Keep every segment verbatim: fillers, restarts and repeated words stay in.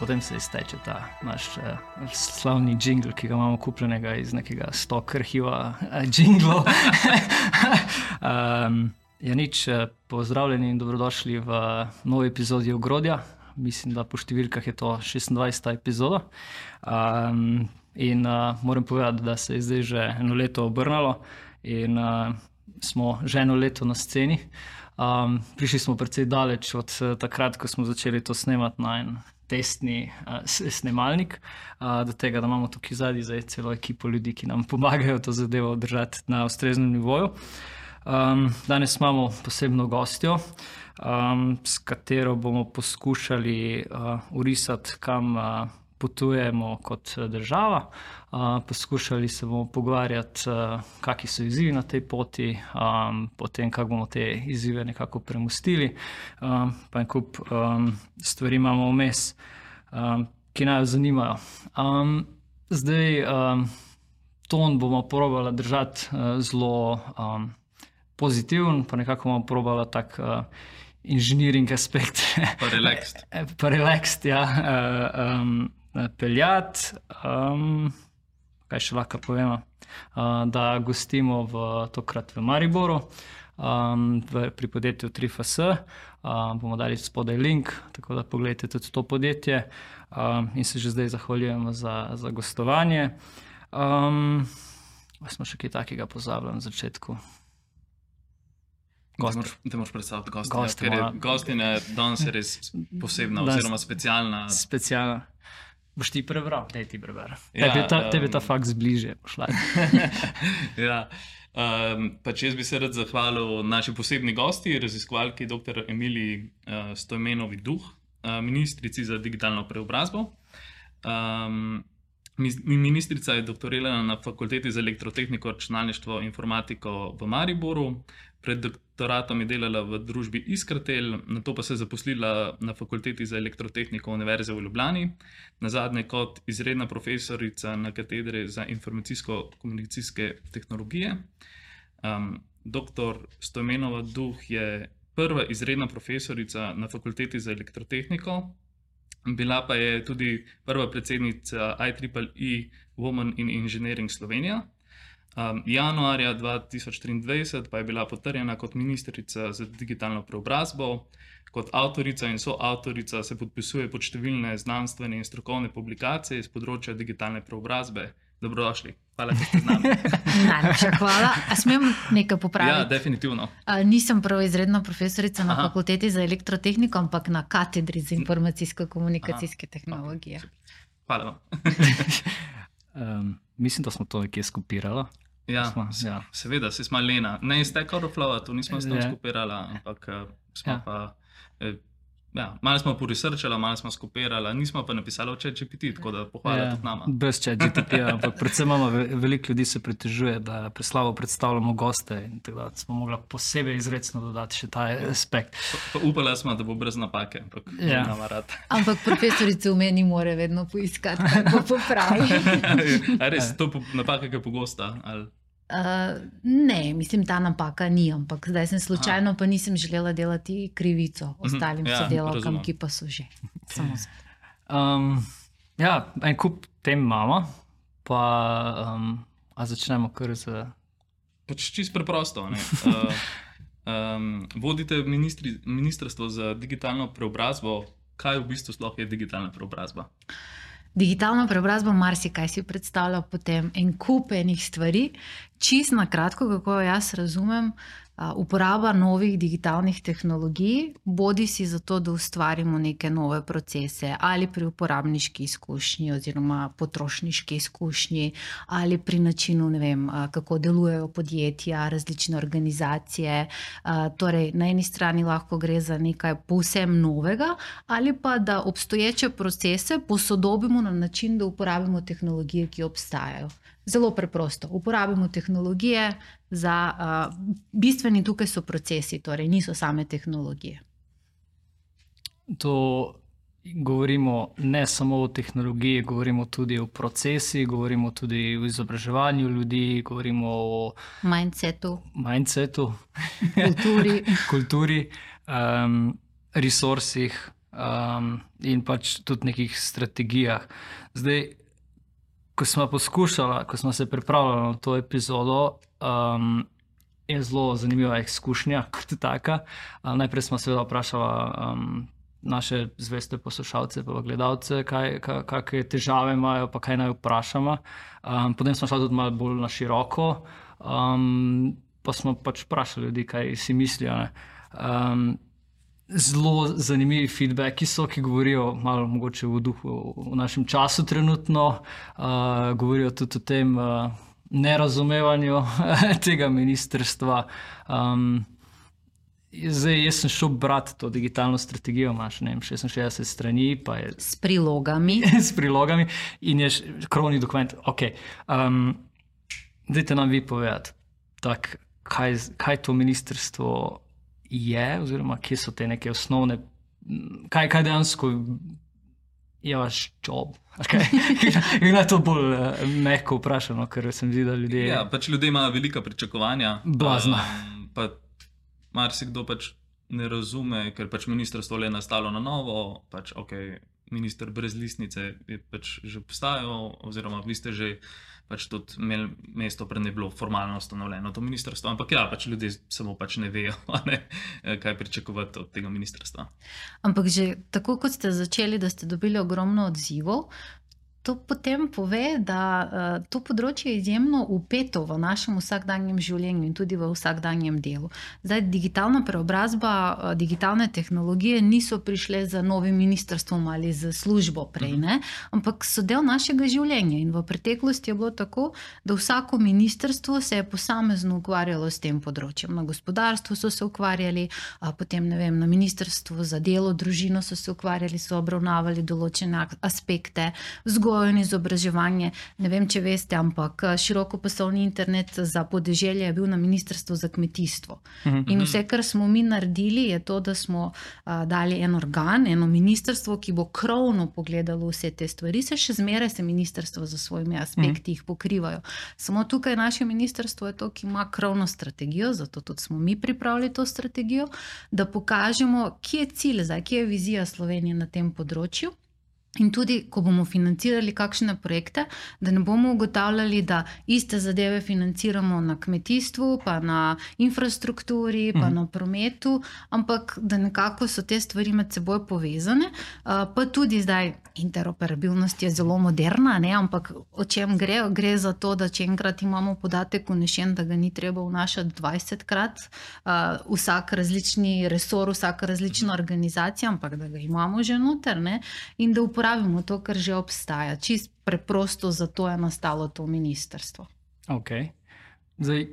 potem se izteče ta naš uh, slavni džingl, ki ga imamo kupljenega iz nekega stok arhiva uh, džinglov. um, ja, nič, pozdravljeni in dobrodošli v novi epizodi Ogrodja. Mislim, da po številkah je to šestindvajseta epizoda. Um, in uh, moram povedati, da se je zdaj že eno leto obrnalo in uh, smo že eno leto na sceni. Um, prišli smo precej daleč od uh, takrat, ko smo začeli to snemati na en testni uh, snemalnik, uh, do tega, da imamo tukaj zadnji zdaj celo ekipo ljudi, ki nam pomagajo to zadevo držati na ustreznem nivoju. Um, danes imamo posebno gostjo, um, s katero bomo poskušali uh, urisati, kam uh, potujemo kot država. Uh, poskušali se bomo pogovarjati, uh, kakšni so izzivi na tej poti, um, potem kako bomo te izzive nekako premostili. Um, pa en kup um, stvari imamo vmes, um, ki naj jo zanimajo. Um, zdaj um, ton bomo probali držati uh, zelo um, pozitiven, pa nekako bomo probali tak uh, inženiring aspekt. Pa relaxed. pa relaxed, ja. Uh, um, peljati, um, kaj še lahko povemo, uh, da gostimo v, tokrat v Mariboru, um, v, pri podjetju tri F S. Uh, bomo dali spodaj link, tako da pogledajte tudi to podjetje um, in se že zdaj zahvaljujemo za, za gostovanje. Um, smo še kaj takega pozabili na začetku? Da moraš predstaviti gostinja, ker je gostinja danes je res posebna oziroma specialna. Specialna. Boš ti prebral? Daj ti prebral. Ja, tebi ta, um, ta fakt zbliže. ja. um, pač jaz bi se rad zahvalil naši posebni gosti, raziskovalki dr. Emiliji uh, Stojmenovi Duh, uh, ministrici za digitalno preobrazbo. Um, Ministrica je doktorirala na Fakulteti za elektrotehniko, računalništvo in informatiko v Mariboru. Pred doktoratom je delala v družbi Iskratel, nato pa se je zaposlila na Fakulteti za elektrotehniko Univerze v Ljubljani, nazadnje kot izredna profesorica na katedri za informacijsko-komunikacijske tehnologije. Um, doktor Stojmenova Duh je prva izredna profesorica na Fakulteti za elektrotehniko. Bila pa je tudi prva predsednica I triple E Women in Engineering Slovenija. Um, januarja dva tisoč triindvajset pa je bila potrjena kot ministrica za digitalno preobrazbo. Kot avtorica in soavtorica se podpisuje pod številne znanstvene in strokovne publikacije iz področja digitalne preobrazbe. Dobrodošli. Hvala, da ste z nami. Najlepša hvala. A smem nekaj popraviti? Ja, definitivno. A, nisem prav izredna profesorica na Aha. Fakulteti za elektrotehniko, ampak na katedri za informacijsko-komunikacijske Aha. tehnologije. Hvala vam. um, mislim, da smo to nekje skupirali. Ja, smo, ja. seveda, se smo Lena. Ne iz Stack Overflow, to nismo s tem skupirali, ampak smo ja. pa... Eh, Ja, malo smo poresearchali, malo smo skopirali, nismo pa napisali o ChatGPT, tako da pohvala ja, tudi nama. Brez ChatGPT, ampak predvsem imamo veliko ljudi se pritežuje, da preslavo predstavljamo goste in tako da smo mogli posebej izrecno dodati še ta aspekt. Pa, pa upala smo, da bo brez napake, ampak ja. nama rad. Ampak profesorice v meni more vedno poiskati, kako popravi. A res, to napaka je pogosta? Ali? Uh, ne, mislim, ta napaka ni, ampak zdaj sem slučajno, Aha. pa nisem želela delati krivico ostalim ja, sodelavkam, ki pa so že. Samo um, ja, en kup tem imamo, pa um, a začnemo kar z... Pač čisto preprosto. Ne? Uh, um, vodite ministri, ministrstvo za digitalno preobrazbo. Kaj v bistvu sploh je digitalna preobrazba? Digitalna preobrazba, marsikaj si predstavlja potem en kup enih stvari. Čisto na kratko, kako jaz razumem, uporaba novih digitalnih tehnologij, bodi si zato, da ustvarimo neke nove procese ali pri uporabniški izkušnji oziroma potrošniški izkušnji ali pri načinu, ne vem, kako delujejo podjetja, različne organizacije. Torej, na eni strani lahko gre za nekaj povsem novega ali pa da obstoječe procese posodobimo na način, da uporabimo tehnologije, ki obstajajo. Zelo preprosto. Uporabimo tehnologije za uh, bistveni tukaj so procesi, torej niso same tehnologije. To govorimo ne samo o tehnologiji, govorimo tudi o procesi, govorimo tudi o izobraževanju ljudi, govorimo o mindsetu, mindsetu kulturi, kulturi um, resursih, uh, um, in pač tudi nekih strategijah. Zdaj, ko smo poskušali, ko smo se pripravljali na to epizodo, um, je zelo zanimiva izkušnja kot taka. Uh, najprej smo seveda vprašali um, naše zveste poslušalce pa gledalce, kaj, kaj, kakšne težave imajo, pa kaj naj vprašamo. Um, potem smo šli tudi malo bolj na široko, um, pa smo pač vprašali ljudi, kaj si mislijo. Um, zelo zanimivi feedbacki so, ki govorijo malo mogoče v duhu v našem času trenutno, uh, govorijo tudi o tem uh, nerazumevanju tega ministrstva. Um, Zdaj, jaz sem šel brati to digitalno strategijo, imaš ne vem, šestinšestdeset strani, pa je s prilogami. s prilogami in je krovni dokument. Okay. Um, dajte nam vi povedati, tak, kaj, kaj to ministrstvo je, oziroma kje so te neke osnovne, kaj, kaj dejansko je vaš job. Okay. In je to bolj uh, mehko vprašano, ker sem videl, da ljudje... Ja, pač ljudje imajo velika pričakovanja. Blazna. Um, pa marsikdo pač ne razume, ker pač ministrstvo le nastalo na novo, pač ok, minister brez listnice je pač že obstajal, oziroma vi ste že pač tudi imeli mesto, pred ne bilo formalno ustanovljeno to ministrstvo, ampak ja, pač ljudje samo pač ne vejo, ne, kaj pričakovati od tega ministrstva. Ampak že tako, kot ste začeli, da ste dobili ogromno odzivov, to potem pove, da uh, to področje je izjemno vpeto v našem vsakdanjem življenju in tudi v vsakdanjem delu. Zdaj, digitalna preobrazba, uh, digitalne tehnologije niso prišle za novim ministrstvom ali za službo prej, ne? Ampak so del našega življenja in v preteklosti je bilo tako, da vsako ministrstvo se je posamezno ukvarjalo s tem področjem. Na gospodarstvu so se ukvarjali, uh, potem ne vem, na ministrstvu za delo, družino so se ukvarjali, so obravnavali določene aspekte, vzgojo in izobraževanje. Ne vem, če veste, ampak širokopasovni internet za podeželje je bil na ministrstvu za kmetijstvo. Uh-huh. In vse, kar smo mi naredili, je to, da smo uh, dali en organ, eno ministrstvo, ki bo krovno pogledalo vse te stvari. Se še zmeraj se ministrstvo za svojimi aspekti jih pokrivajo. Samo tukaj naše ministrstvo je to, ki ima krovno strategijo, zato tudi smo mi pripravili to strategijo, da pokažemo, kje je cilj, zdaj, kje je vizija Slovenije na tem področju. In tudi, ko bomo financirali kakšne projekte, da ne bomo ugotavljali, da iste zadeve financiramo na kmetijstvu, pa na infrastrukturi, pa mm. na prometu, ampak da nekako so te stvari med seboj povezane. Pa tudi zdaj interoperabilnost je zelo moderna, ne? Ampak o čem gre? Gre za to, da če enkrat imamo podatek vnešen, da ga ni treba vnašati dvajsetkrat, vsak različni resor, vsaka različna organizacija, ampak da ga imamo že noter, ne? In da uporabimo to, kar že obstaja. Čist preprosto zato je nastalo to ministrstvo. Ok. Zdaj,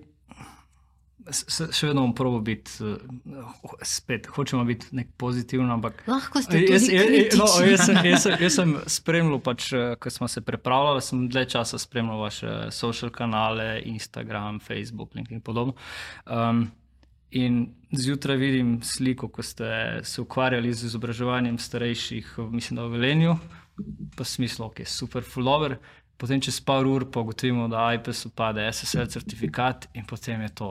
še vedno bom probal biti, spet, hočemo biti nek pozitivno, ampak... Lahko ste tudi kritični. No, jaz, sem, jaz, sem, jaz sem spremljal, pač, ko smo se pripravljali, sem dlje časa spremljal vaše social kanale, Instagram, Facebook, LinkedIn in podobno. Um, in zjutraj vidim sliko, ko ste se ukvarjali z izobraževanjem starejših, mislim, da v Velenju, pa smislu, ok, super follower, potem čez par ur pa ugotovimo, da I P E S upade S S L certifikat in potem je to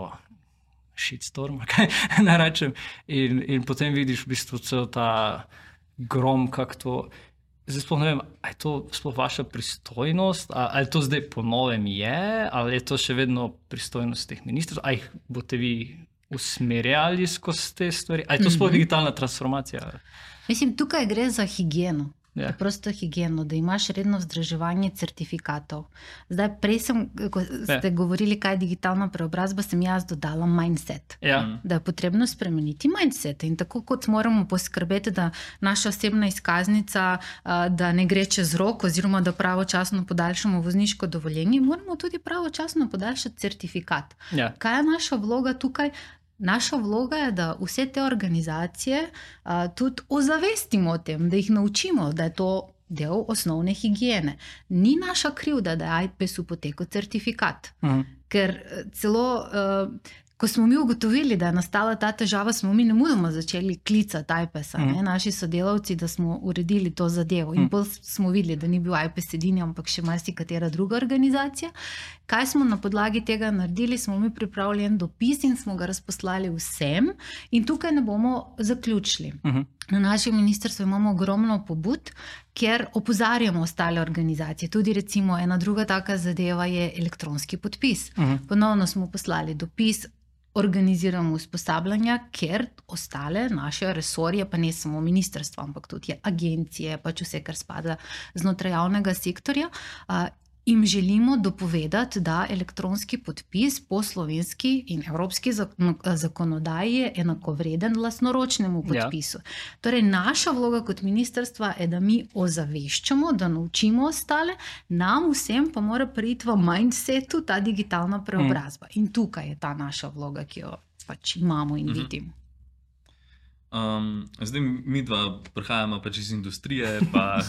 shitstorm, kaj ne rečem, in, in potem vidiš v bistvu cel ta grom, kak to, zdaj sploh ne vem, a je to sploh vaša pristojnost, a, ali to zdaj po novem je, ali je to še vedno pristojnost teh ministrov, a jih boste vi usmerjali skozi te stvari, a je to sploh digitalna transformacija? Mislim, tukaj gre za higieno. Ja. Prosto higieno, da imaš redno vzdrževanje certifikatov. Zdaj, prej sem, ko ste ja. govorili, kaj je digitalna preobrazba, sem jaz dodala mindset. Ja. Da je potrebno spremeniti mindset. In tako kot moramo poskrbeti, da naša osebna izkaznica, da ne gre čez rok, oziroma da pravočasno podaljšamo vozniško dovoljenje, moramo tudi pravočasno podaljšati certifikat. Ja. Kaj je naša vloga tukaj? Naša vloga je, da vse te organizacije a, tudi ozavestimo o tem, da jih naučimo, da je to del osnovne higiene. Ni naša krivda, da je I P E S-u potekel certifikat. Uh-huh. Ker celo, a, ko smo mi ugotovili, da je nastala ta težava, smo mi nemudoma začeli klicati I P E S-a, uh-huh. naši sodelavci, da smo uredili to zadevo. In bolj smo videli, da ni bil I P E S edini, ampak še marsikatera druga organizacija. Kaj smo na podlagi tega naredili? Smo mi pripravili en dopis in smo ga razposlali vsem in tukaj ne bomo zaključili. Uh-huh. Na našem ministrstvu imamo ogromno pobud, kjer opozarjamo ostale organizacije. Tudi recimo ena druga taka zadeva je elektronski podpis. Uh-huh. Ponovno smo poslali dopis, organiziramo usposabljanja, ker ostale naše resorje, pa ne samo ministrstvo, ampak tudi agencije, pač vse, kar spada znotraj javnega sektorja, jim želimo dopovedati, da elektronski podpis po slovenski in evropski zakonodaji je enakovreden lastnoročnemu podpisu. Ja. Torej, naša vloga kot ministrstva je, da mi ozaveščamo, da naučimo ostale, nam vsem pa mora priti v mindsetu ta digitalna preobrazba. Mm. In tukaj je ta naša vloga, ki jo pač imamo in mm-hmm. vidim. Um, zdaj mi dva prihajamo pač iz industrije, pa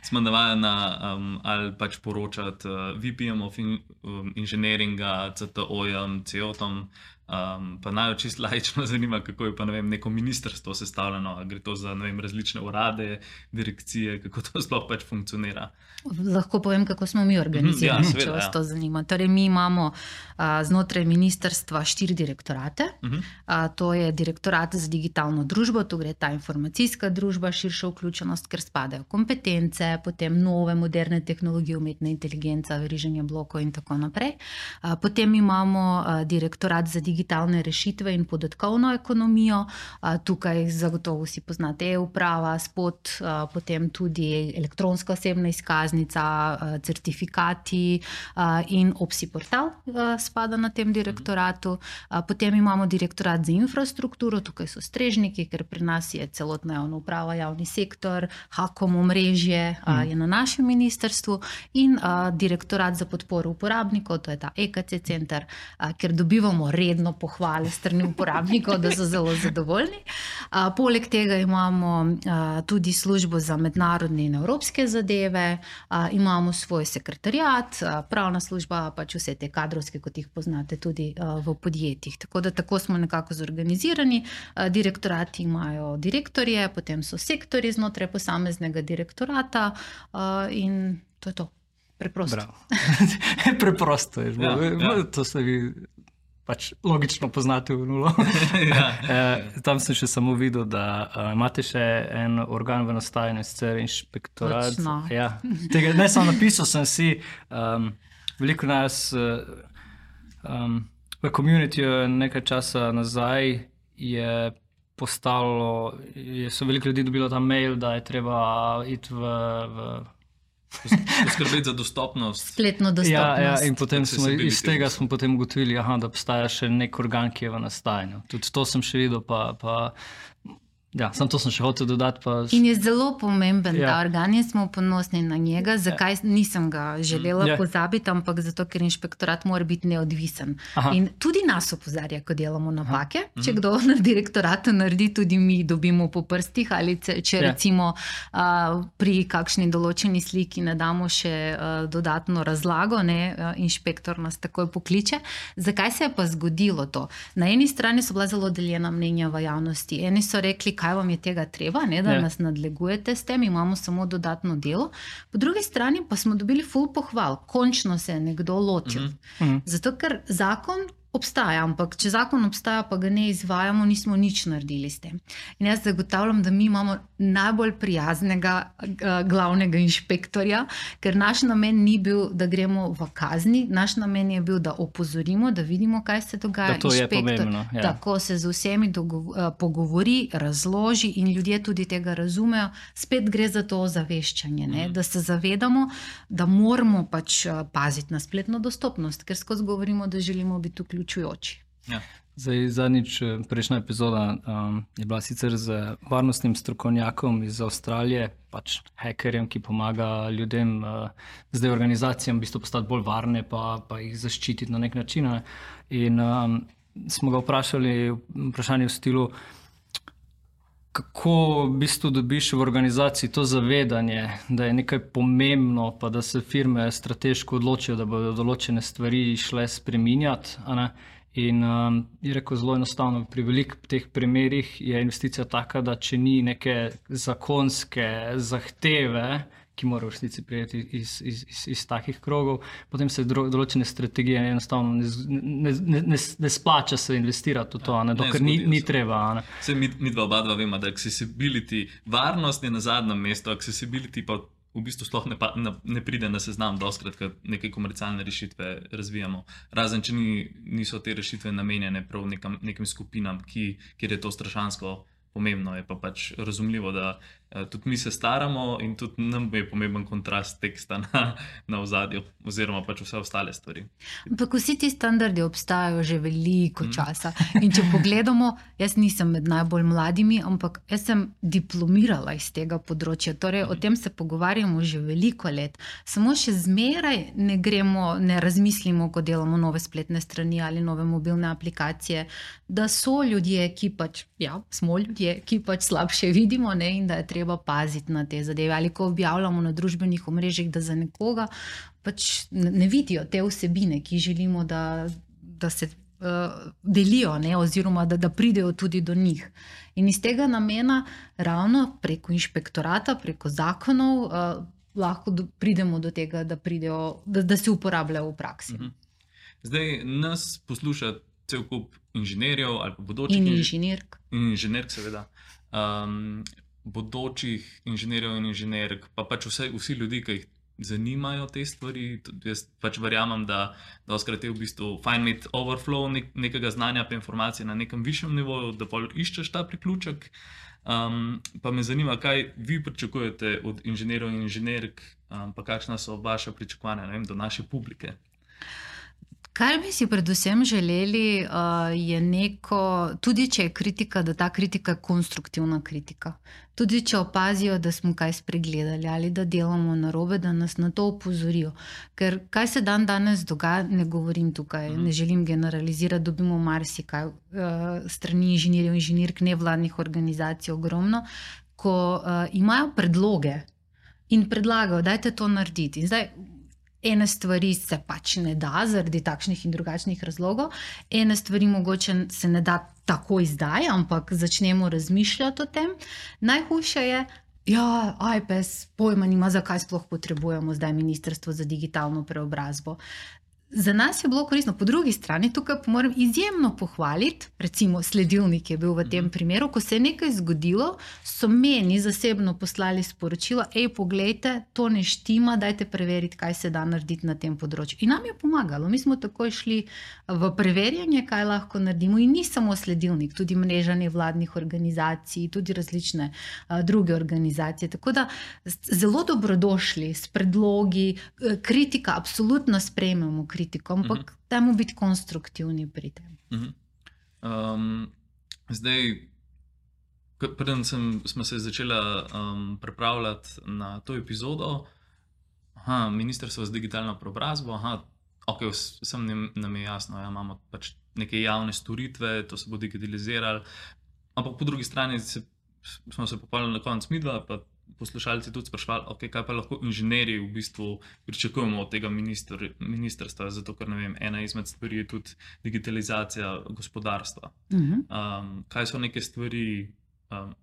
smo navajena um, ali pač poročati uh, V P-jem of in, um, inženiringa, C T O-jem, C E O-tom, um, pa naj čist laično zanima, kako je pa ne vem, neko ministrstvo sestavljeno, gre to za ne vem, različne urade, direkcije, kako to sploh pač funkcionira. Lahko povem, kako smo mi organizirani, ja, če vas to zanima. Torej, mi imamo a, znotraj ministrstva štiri direktorate. Uh-huh. A, to je direktorat za digitalno družbo, tu gre ta informacijska družba, širša vključenost, ker spadajo kompetence, potem nove moderne tehnologije, umetna inteligenca, veriženje blokov in tako naprej. A, potem imamo a, direktorat za digitalne rešitve in podatkovno ekonomijo. A, tukaj zagotovo si poznate e-uprava, spot, a, potem tudi elektronska osebna izkaznica, certifikati in Opsi portal spada na tem direktoratu. Potem imamo direktorat za infrastrukturo, tukaj so strežniki, ker pri nas je celotna javna uprava, javni sektor, Hakom omrežje je na našem ministrstvu in direktorat za podporo uporabnikov, to je ta E K C center, ker dobivamo redno pohvale strani uporabnikov, da so zelo zadovoljni. Poleg tega imamo tudi službo za mednarodne in evropske zadeve, Uh, imamo svoj sekretariat, uh, pravna služba, pač vse te kadrovske, kot jih poznate tudi uh, v podjetjih. Tako da tako smo nekako zorganizirani. Uh, direktorati imajo direktorje, potem so sektorji znotraj posameznega direktorata uh, in to je to. Preprosto. Preprosto je. Ja, ja. To se vi pač logično poznate v nulo. Ja. e, tam sem še samo videl, da uh, imate še en organ v nastajanju, sicer inšpektorat. Ja. Tega ne samo napisal sem si, um, veliko nas uh, um, v communityju nekaj časa nazaj je postalo, je, so veliko ljudi dobilo ta mail, da je treba iti v, v poskrbeti za dostopnost. Spletno dostopnost. Ja, ja, in potem smo, iz tega smo potem ugotovili, aha, da obstaja še nek organ, ki je v nastajanju. Tudi to sem še videl, pa, pa ja, sam to sem še hotel dodati. Pa... In je zelo pomemben ja. ta organ in smo ponosni na njega. Zakaj ja. nisem ga želela ja. pozabiti, ampak zato, ker inšpektorat mora biti neodvisen. Aha. In tudi nas opozarja, ko delamo napake. Aha. Če kdo na direktoratu naredi, tudi mi dobimo po prstih ali če ja. recimo uh, pri kakšni določeni sliki ne damo še uh, dodatno razlago, ne, uh, inšpektor nas takoj pokliče. Zakaj se je pa zgodilo to? Na eni strani so bila zelo deljena mnenja v javnosti. Eni so rekli, kaj vam je tega treba, ne, da ja. nas nadlegujete s tem, imamo samo dodatno delo. Po drugi strani pa smo dobili ful pohval. Končno se je nekdo lotil. Mm-hmm. Zato, ker zakon obstaja, ampak če zakon obstaja, pa ga ne izvajamo, nismo nič naredili s tem. In jaz zagotavljam, da mi imamo najbolj prijaznega uh, glavnega inšpektorja, ker naš namen ni bil, da gremo v kazni, naš namen je bil, da opozorimo, da vidimo, kaj se dogaja. Da to je pomembno. Ja. Tako se z vsemi dogo- uh, pogovori, razloži in ljudje tudi tega razumejo. Spet gre za to ozaveščanje, ne? Da se zavedamo, da moramo pač uh, paziti na spletno dostopnost, ker skozi govorimo, da želimo biti vključeni. Ja. Zdaj, zadnjič, prejšnja epizoda um, je bila sicer z varnostnim strokovnjakom iz Avstralije, pač hekerjem, ki pomaga ljudem, uh, zdaj organizacijam v bistvu postati bolj varne, pa, pa jih zaščititi na nek način. Ne? In um, smo ga vprašali vprašanje v stilu, kako v bistvu dobiš v organizaciji to zavedanje, da je nekaj pomembno, pa da se firme strateško odločijo, da bodo določene stvari šle spreminjati. In um, je rekel zelo enostavno, pri velikih teh primerih je investicija taka, da če ni neke zakonske zahteve, ki mora v resnici prijeti iz, iz, iz, iz takih krogov. Potem se dro, določene strategije enostavno ne, ne, ne, ne, ne splača se investirati v to, ja, ne, dokler ni, ni treba. Ne. Vse mi, mi dva oba dva vemo, da accessibility, varnost je na zadnjem mestu, accessibility pa v bistvu sploh ne, pa, ne, ne pride na seznam doskrat, ko neke komercialne rešitve razvijamo. Razen, če ni, niso te rešitve namenjene prav nekam, nekim skupinam, ki, kjer je to strašansko pomembno. Je pa pač razumljivo, da uh, tudi mi se staramo in tudi nam je pomemben kontrast teksta na, na ozadju oziroma pač vse ostale stvari. Ampak vsi ti standardi obstajajo že veliko časa. In če pogledamo, jaz nisem med najbolj mladimi, ampak jaz sem diplomirala iz tega področja. Torej, o tem se pogovarjamo že veliko let. Samo še zmeraj ne gremo, ne razmislimo, ko delamo nove spletne strani ali nove mobilne aplikacije, da so ljudje, ki pač, ja, smo ljudje, ki pač slabše vidimo, ne, in da je treba paziti na te zadeve. Ali ko objavljamo na družbenih omrežjih, da za nekoga pač ne vidijo te vsebine, ki želimo, da, da se uh, delijo, ne, oziroma da, da pridejo tudi do njih. In iz tega namena ravno preko inšpektorata, preko zakonov uh, lahko do, pridemo do tega, da, pridejo, da, da se uporabljajo v praksi. Mhm. Zdaj nas posluša cel kup inženirjev ali pa bodočih in inženirk. In inženirk, seveda. Um, bodočih inženirjev in inženirk, pa pač vse, vsi ljudi, ki jih zanimajo te stvari. Jaz pač verjamem, da doskrat je v bistvu fajn imeti overflow nek, nekega znanja pa informacije na nekem višjem nivoju, da pol iščeš ta priključek. Um, pa me zanima, kaj vi pričakujete od inženirjev in inženirk, um, pa kakšna so vaša pričakovanja, ne vem, do naše publike. Kar bi si predvsem želeli, uh, je neko, tudi če je kritika, da ta kritika je konstruktivna kritika. Tudi če opazijo, da smo kaj spregledali ali da delamo narobe, da nas na to opozorijo. Ker kaj se dan danes dogaja, ne govorim tukaj, mm. ne želim generalizirati, dobimo marsikaj uh, strani inženirjev, inženirk, nevladnih organizacij ogromno, ko uh, imajo predloge in predlagajo, dajte to narediti. In zdaj, ene stvari se pač ne da zaradi takšnih in drugačnih razlogov, ene stvari mogoče se ne da takoj zdaj, ampak začnemo razmišljati o tem. Najhujše je, ja, I P S pojma nima, zakaj sploh potrebujemo zdaj Ministrstvo za digitalno preobrazbo. Za nas je bilo koristno. Po drugi strani, tukaj moram izjemno pohvaliti, recimo sledilnik je bil v tem primeru, ko se je nekaj zgodilo, so meni zasebno poslali sporočilo, ej, poglejte, to ne štima, dajte preveriti, kaj se da narediti na tem področju. In nam je pomagalo. Mi smo takoj šli v preverjanje, kaj lahko naredimo. In ni samo sledilnik, tudi mreža nevladnih organizacij, tudi različne uh, druge organizacije. Tako da zelo dobrodošli s predlogi, kritika absolutno sprejmemo kritiko. Kritiko, ampak uh-huh. dajmo biti konstruktivni pri tem. Uh-huh. Um, zdaj, preden sem, smo se začela um, pripravljati na to epizodo, aha, Ministrstvo za digitalno preobrazbo, aha, ok, vsem nam je jasno, ja, imamo pač neke javne storitve, to se bo digitaliziralo, ampak po drugi strani se, smo se popolnili na konec midva, pa poslušalci tudi sprašvali, okay, kaj pa lahko inženirji v bistvu pričakujemo od tega minister, ministrstva, zato ker ne vem, ena izmed stvari je tudi digitalizacija gospodarstva. Uh-huh. Um, kaj so neke stvari, um,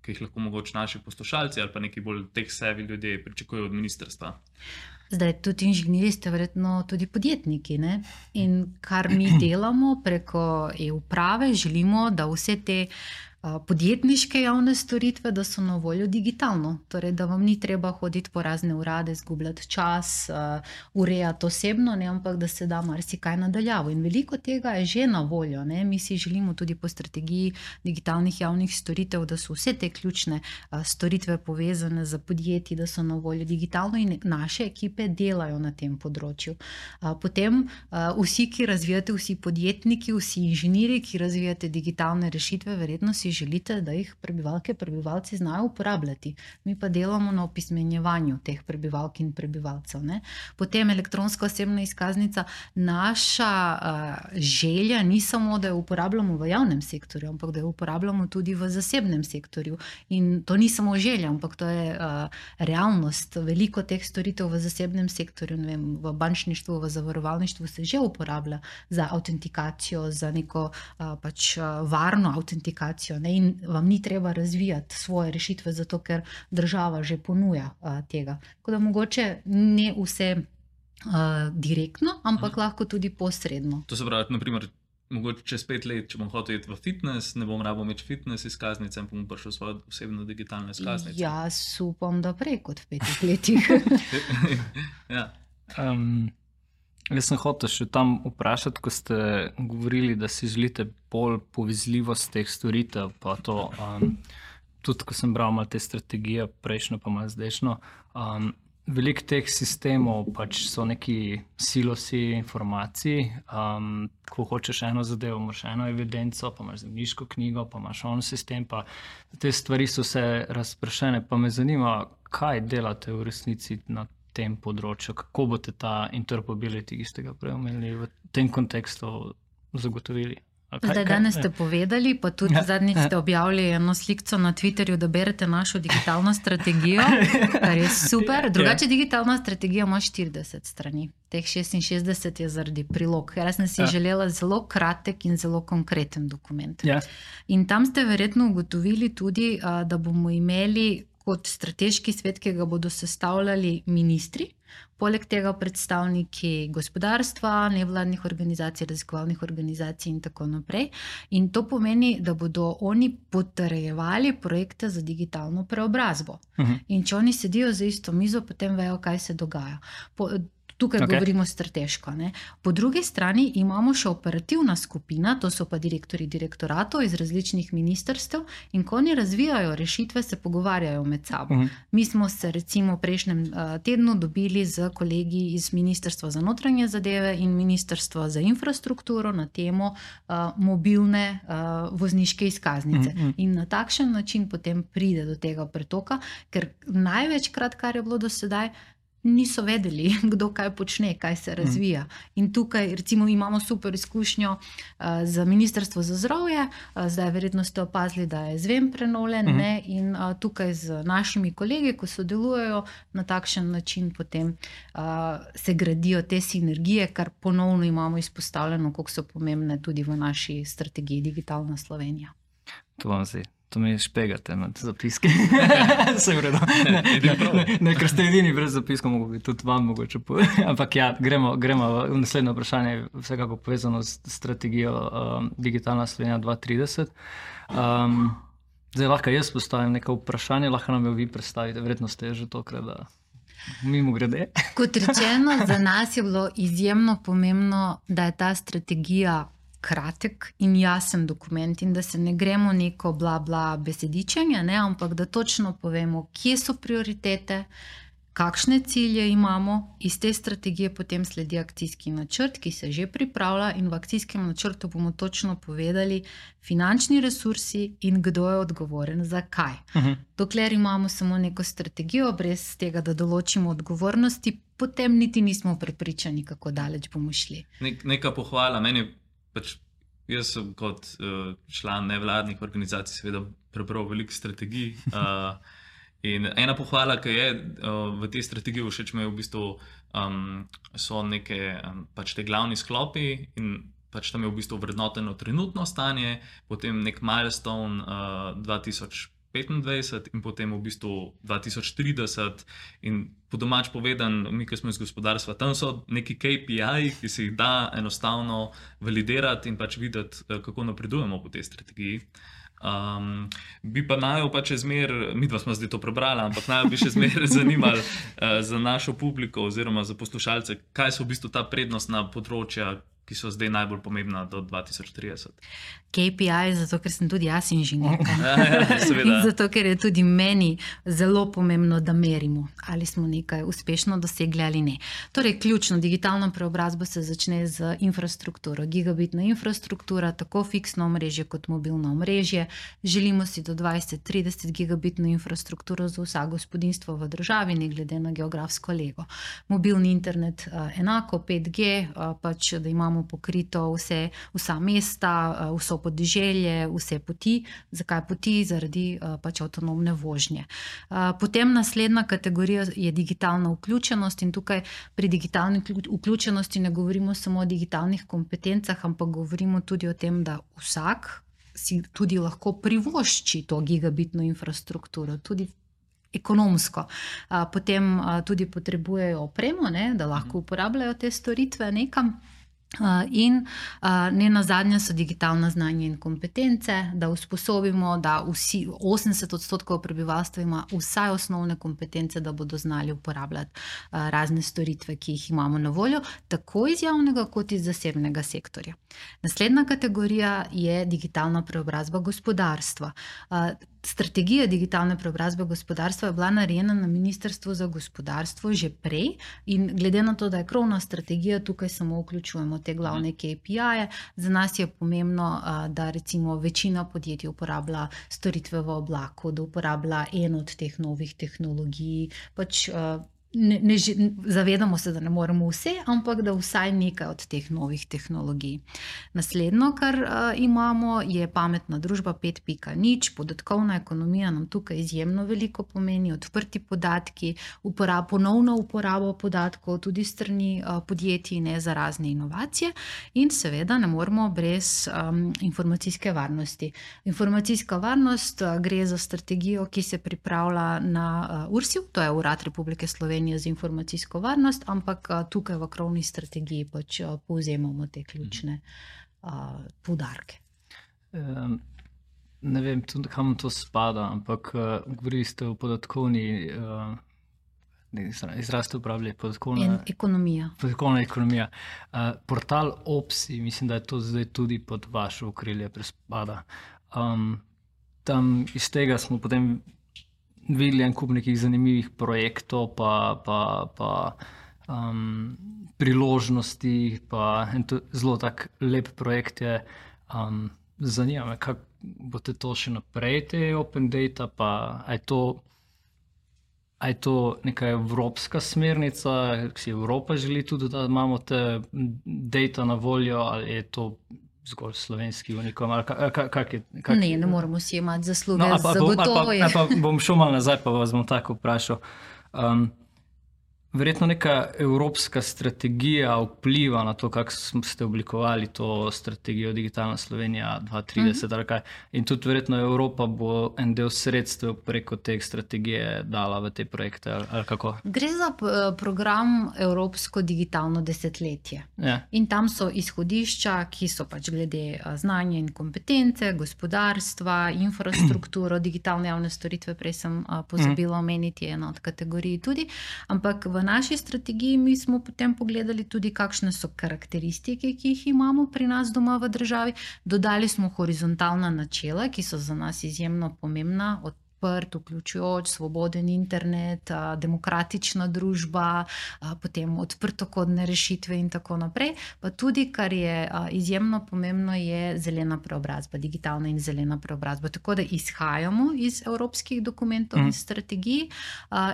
ki jih lahko mogoče naši poslušalci ali pa neki bolj tech-savvy ljudje pričakujejo od ministrstva? Zdaj, tudi inženirji ste verjetno tudi podjetniki, ne? In kar mi delamo preko e-uprave, želimo, da vse te podjetniške javne storitve, da so na voljo digitalno. Torej, da vam ni treba hoditi po razne urade, izgubljati čas, uh, urejati osebno, ne, ampak da se da marsikaj nadaljavo. In veliko tega je že na voljo. Ne. Mi si želimo tudi po strategiji digitalnih javnih storitev, da so vse te ključne uh, storitve povezane z podjetji, da so na voljo digitalno in naše ekipe delajo na tem področju. Uh, potem uh, vsi, ki razvijate, vsi podjetniki, vsi inženirji, ki razvijate digitalne rešitve, verjetno si želite, da jih prebivalke, prebivalci znajo uporabljati. Mi pa delamo na opismenjevanju teh prebivalk in prebivalcev. Ne? Potem elektronska osebna izkaznica. Naša uh, želja ni samo, da jo uporabljamo v javnem sektorju, ampak da jo uporabljamo tudi v zasebnem sektorju. In to ni samo želja, ampak to je uh, realnost. Veliko teh storitev v zasebnem sektorju, ne vem, v bančništvu, v zavarovalništvu se že uporablja za autentikacijo, za neko uh, pač uh, varno autentikacijo. ne, in vam ni treba razvijati svoje rešitve, zato ker država že ponuja uh, tega. Tako da mogoče ne vse uh, direktno, ampak hmm. lahko tudi posredno. To se pravi, naprimer, mogoče čez pet let, če bom hotel iti v fitness, ne bom rabo imeti fitness izkaznice in bom prišel svojo osebno digitalno izkaznico. Jaz upam, da prej kot v petih letih. ja. um, jaz sem hotel še tam vprašati, ko ste govorili, da si želite bolj povezljivost teh storitev, pa to, um, tudi ko sem bral malo te strategije, prejšnjo pa malo zdajšnjo, um, veliko teh sistemov pač so neki silosi informacij, um, ko hočeš eno zadevo, imaš eno evidenco, pa imaš zemljiško knjigo, pa imaš on sistem, pa te stvari so vse razpršene, pa me zanima, kaj delate v resnici na tem področju, kako boste ta interoperability, ki ste ga prej omenili, v tem kontekstu zagotovili. Kaj, Zdaj, danes ste povedali, pa tudi ja. zadnjič ste objavili eno slikco na Twitterju, da berete našo digitalno strategijo, kar je super. Drugače, digitalna strategija ima štirideset strani. Teh šestinšestdeset je zaradi prilog. Jaz sem si ja. želela zelo kratek in zelo konkreten dokument. Ja. In tam ste verjetno ugotovili tudi, da bomo imeli kot strateški svet, ki ga bodo sestavljali ministri, poleg tega predstavniki gospodarstva, nevladnih organizacij, raziskovalnih organizacij in tako naprej. In to pomeni, da bodo oni potrjevali projekte za digitalno preobrazbo. Uh-huh. In če oni sedijo za isto mizo, potem vejo, kaj se dogaja. Po, Tukaj okay. govorimo strateško. Ne? Po drugi strani imamo še operativna skupina, to so pa direktori direktoratov iz različnih ministrstev, in ko oni razvijajo rešitve, se pogovarjajo med sabo. Uh-huh. Mi smo se recimo v prejšnjem uh, tednu dobili z kolegi iz Ministrstva za notranje zadeve in Ministrstva za infrastrukturo na temo uh, mobilne uh, vozniške izkaznice. Uh-huh. In na takšen način potem pride do tega pretoka, ker največkrat, kar je bilo do sedaj, niso vedeli, kdo kaj počne, kaj se razvija. In tukaj recimo imamo super izkušnjo uh, za Ministrstvo za zdravje, uh, zdaj verjetno ste opazili, da je zven prenovljen, uh-huh. ne? In uh, tukaj z našimi kolegi, ko sodelujejo na takšen način, potem uh, se gradijo te sinergije, kar ponovno imamo izpostavljeno, koliko so pomembne tudi v naši strategiji Digitalna Slovenija. To vam zdi. To mi špegate med zapiske. Se vredo. Ne, ne, ne, ker ste edini brez zapiskov, mogo bi tudi vam mogoče povedati. Ampak ja, gremo, gremo v naslednje vprašanje, vsekako povezano s strategijo um, Digitalna Slovenija dva tisoč trideset. Um, zdaj lahko jaz postavim neko vprašanje, lahko nam jo vi predstavite, verjetno ste že tokrat, da mimo grede. Kot rečeno, za nas je bilo izjemno pomembno, da je ta strategija kratek in jasen dokument in da se ne gremo neko bla bla besedičenje, ne, ampak da točno povemo, kje so prioritete, kakšne cilje imamo, iz te strategije potem sledi akcijski načrt, ki se že pripravlja, in v akcijskem načrtu bomo točno povedali finančni resursi in kdo je odgovoren za kaj. Uh-huh. Dokler imamo samo neko strategijo, brez tega, da določimo odgovornosti, potem niti nismo prepričani, kako daleč bomo šli. Nek, neka pohvala, meni pač, jaz sem kot uh, član nevladnih organizacij seveda prebral veliko strategij uh, in ena pohvala, ki je uh, v tej strategiji všeč me v bistvu um, so neke um, pač te glavni sklopi in pač tam je v bistvu vrednoteno trenutno stanje, potem nek milestone uh, dva tisoč petindvajset in potem v bistvu dva tisoč trideset in po domač povedan, mi, ki smo iz gospodarstva, tam so neki K P I, ki se jih da enostavno validirati in pač videti, kako napredujemo po tej strategiji. Um, bi pa naj pa če zmer, mi dva smo zdaj to prebrala, ampak naj bi še zmer zanimali uh, za našo publiko oziroma za poslušalce, kaj so v bistvu ta prednostna področja, ki so zdaj najbolj pomembna do dva tisoč trideset. K P I, zato ker sem tudi jaz inženirka. Ja, ja, seveda. Zato ker je tudi meni zelo pomembno, da merimo, ali smo nekaj uspešno dosegli ali ne. Torej, ključno digitalno preobrazbo se začne z infrastrukturo. Gigabitna infrastruktura, tako fiksno omrežje kot mobilno omrežje. Želimo si do dvajset trideset gigabitno infrastrukturo za vsa gospodinjstvo v državi, ne glede na geografsko lego. Mobilni internet enako, pet G, pač da imamo pokrito vse, vsa mesta, vso podeželje, vse poti. Zakaj poti? Zaradi pač avtonomne vožnje. Potem naslednja kategorija je digitalna vključenost in tukaj pri digitalni vključenosti ne govorimo samo o digitalnih kompetencah, ampak govorimo tudi o tem, da vsak si tudi lahko privošči to gigabitno infrastrukturo, tudi ekonomsko. Potem tudi potrebujejo opremo, ne, da lahko uporabljajo te storitve nekam. In ne nazadnje so digitalna znanja in kompetence, da usposobimo, da vsi, osemdeset odstotkov prebivalstva ima vsaj osnovne kompetence, da bodo znali uporabljati razne storitve, ki jih imamo na voljo, tako iz javnega kot iz zasebnega sektorja. Naslednja kategorija je digitalna preobrazba gospodarstva. Strategija digitalne preobrazbe gospodarstva je bila narejena na Ministrstvu za gospodarstvo že prej in glede na to, da je krovna strategija, tukaj samo vključujemo te glavne K P I-je. Za nas je pomembno, da recimo večina podjetij uporablja storitve v oblaku, da uporablja eno od teh novih tehnologij, pač Ne, ne, zavedamo se, da ne moremo vse, ampak da vsaj nekaj od teh novih tehnologij. Naslednjo, kar uh, imamo, je pametna družba pet pika nič. Podatkovna ekonomija nam tukaj izjemno veliko pomeni, odprti podatki, uporab, ponovno uporabo podatkov tudi strani uh, podjetij, ne za razne inovacije in seveda ne moremo brez um, informacijske varnosti. Informacijska varnost uh, gre za strategijo, ki se pripravlja na uh, U R S I-u, to je Urad Republike Slovenije za informacijsko varnost, ampak tukaj v krovni strategiji pač povzemamo te ključne uh, poudarke. Um, ne vem, tudi kam to spada, ampak uh, govorili ste o podatkovni, uh, izraz ste uporabili, podatkovna en, ekonomija. Podatkovna ekonomija. Uh, portal Opsi, mislim, da je to zdaj tudi pod vaše okrilje prespada. Um, tam iz tega smo potem videli en kup nekih zanimivih projektov, pa, pa, pa um, priložnosti, pa en to zelo tak lep projekt je. Um, zanima me, kako boste to še naprej, te open data, pa je to, a je to neka evropska smernica, ki si Evropa želi tudi, da imamo te data na voljo, ali je to zgolj slovenski unikom, ali kak, kak je? Kak... Ne, ne moramo si imati zasluge, no, zagotovo je. Pa bom šel malo nazaj, pa vas bom tako vprašal. Um, verjetno neka evropska strategija vpliva na to, kako ste oblikovali to strategijo Digitalna Slovenija dva tisoč trideset, mm-hmm. ali kaj. In tudi verjetno Evropa bo en del sredstev preko te strategije dala v te projekte, ali, ali kako? Gre za program Evropsko digitalno desetletje. Ja. In tam so izhodišča, ki so pač glede znanja in kompetence, gospodarstva, infrastrukturo, digitalne javne storitve, prej sem pozabila omeniti eno od kategorij tudi, ampak v naši strategiji mi smo potem pogledali tudi, kakšne so karakteristike, ki jih imamo pri nas doma v državi. Dodali smo horizontalna načela, ki so za nas izjemno pomembna, od odprt, vključujoč, svoboden internet, demokratična družba, potem odprtokodne rešitve in tako naprej. Pa tudi, kar je izjemno pomembno, je zelena preobrazba, digitalna in zelena preobrazba. Tako da izhajamo iz evropskih dokumentov in strategij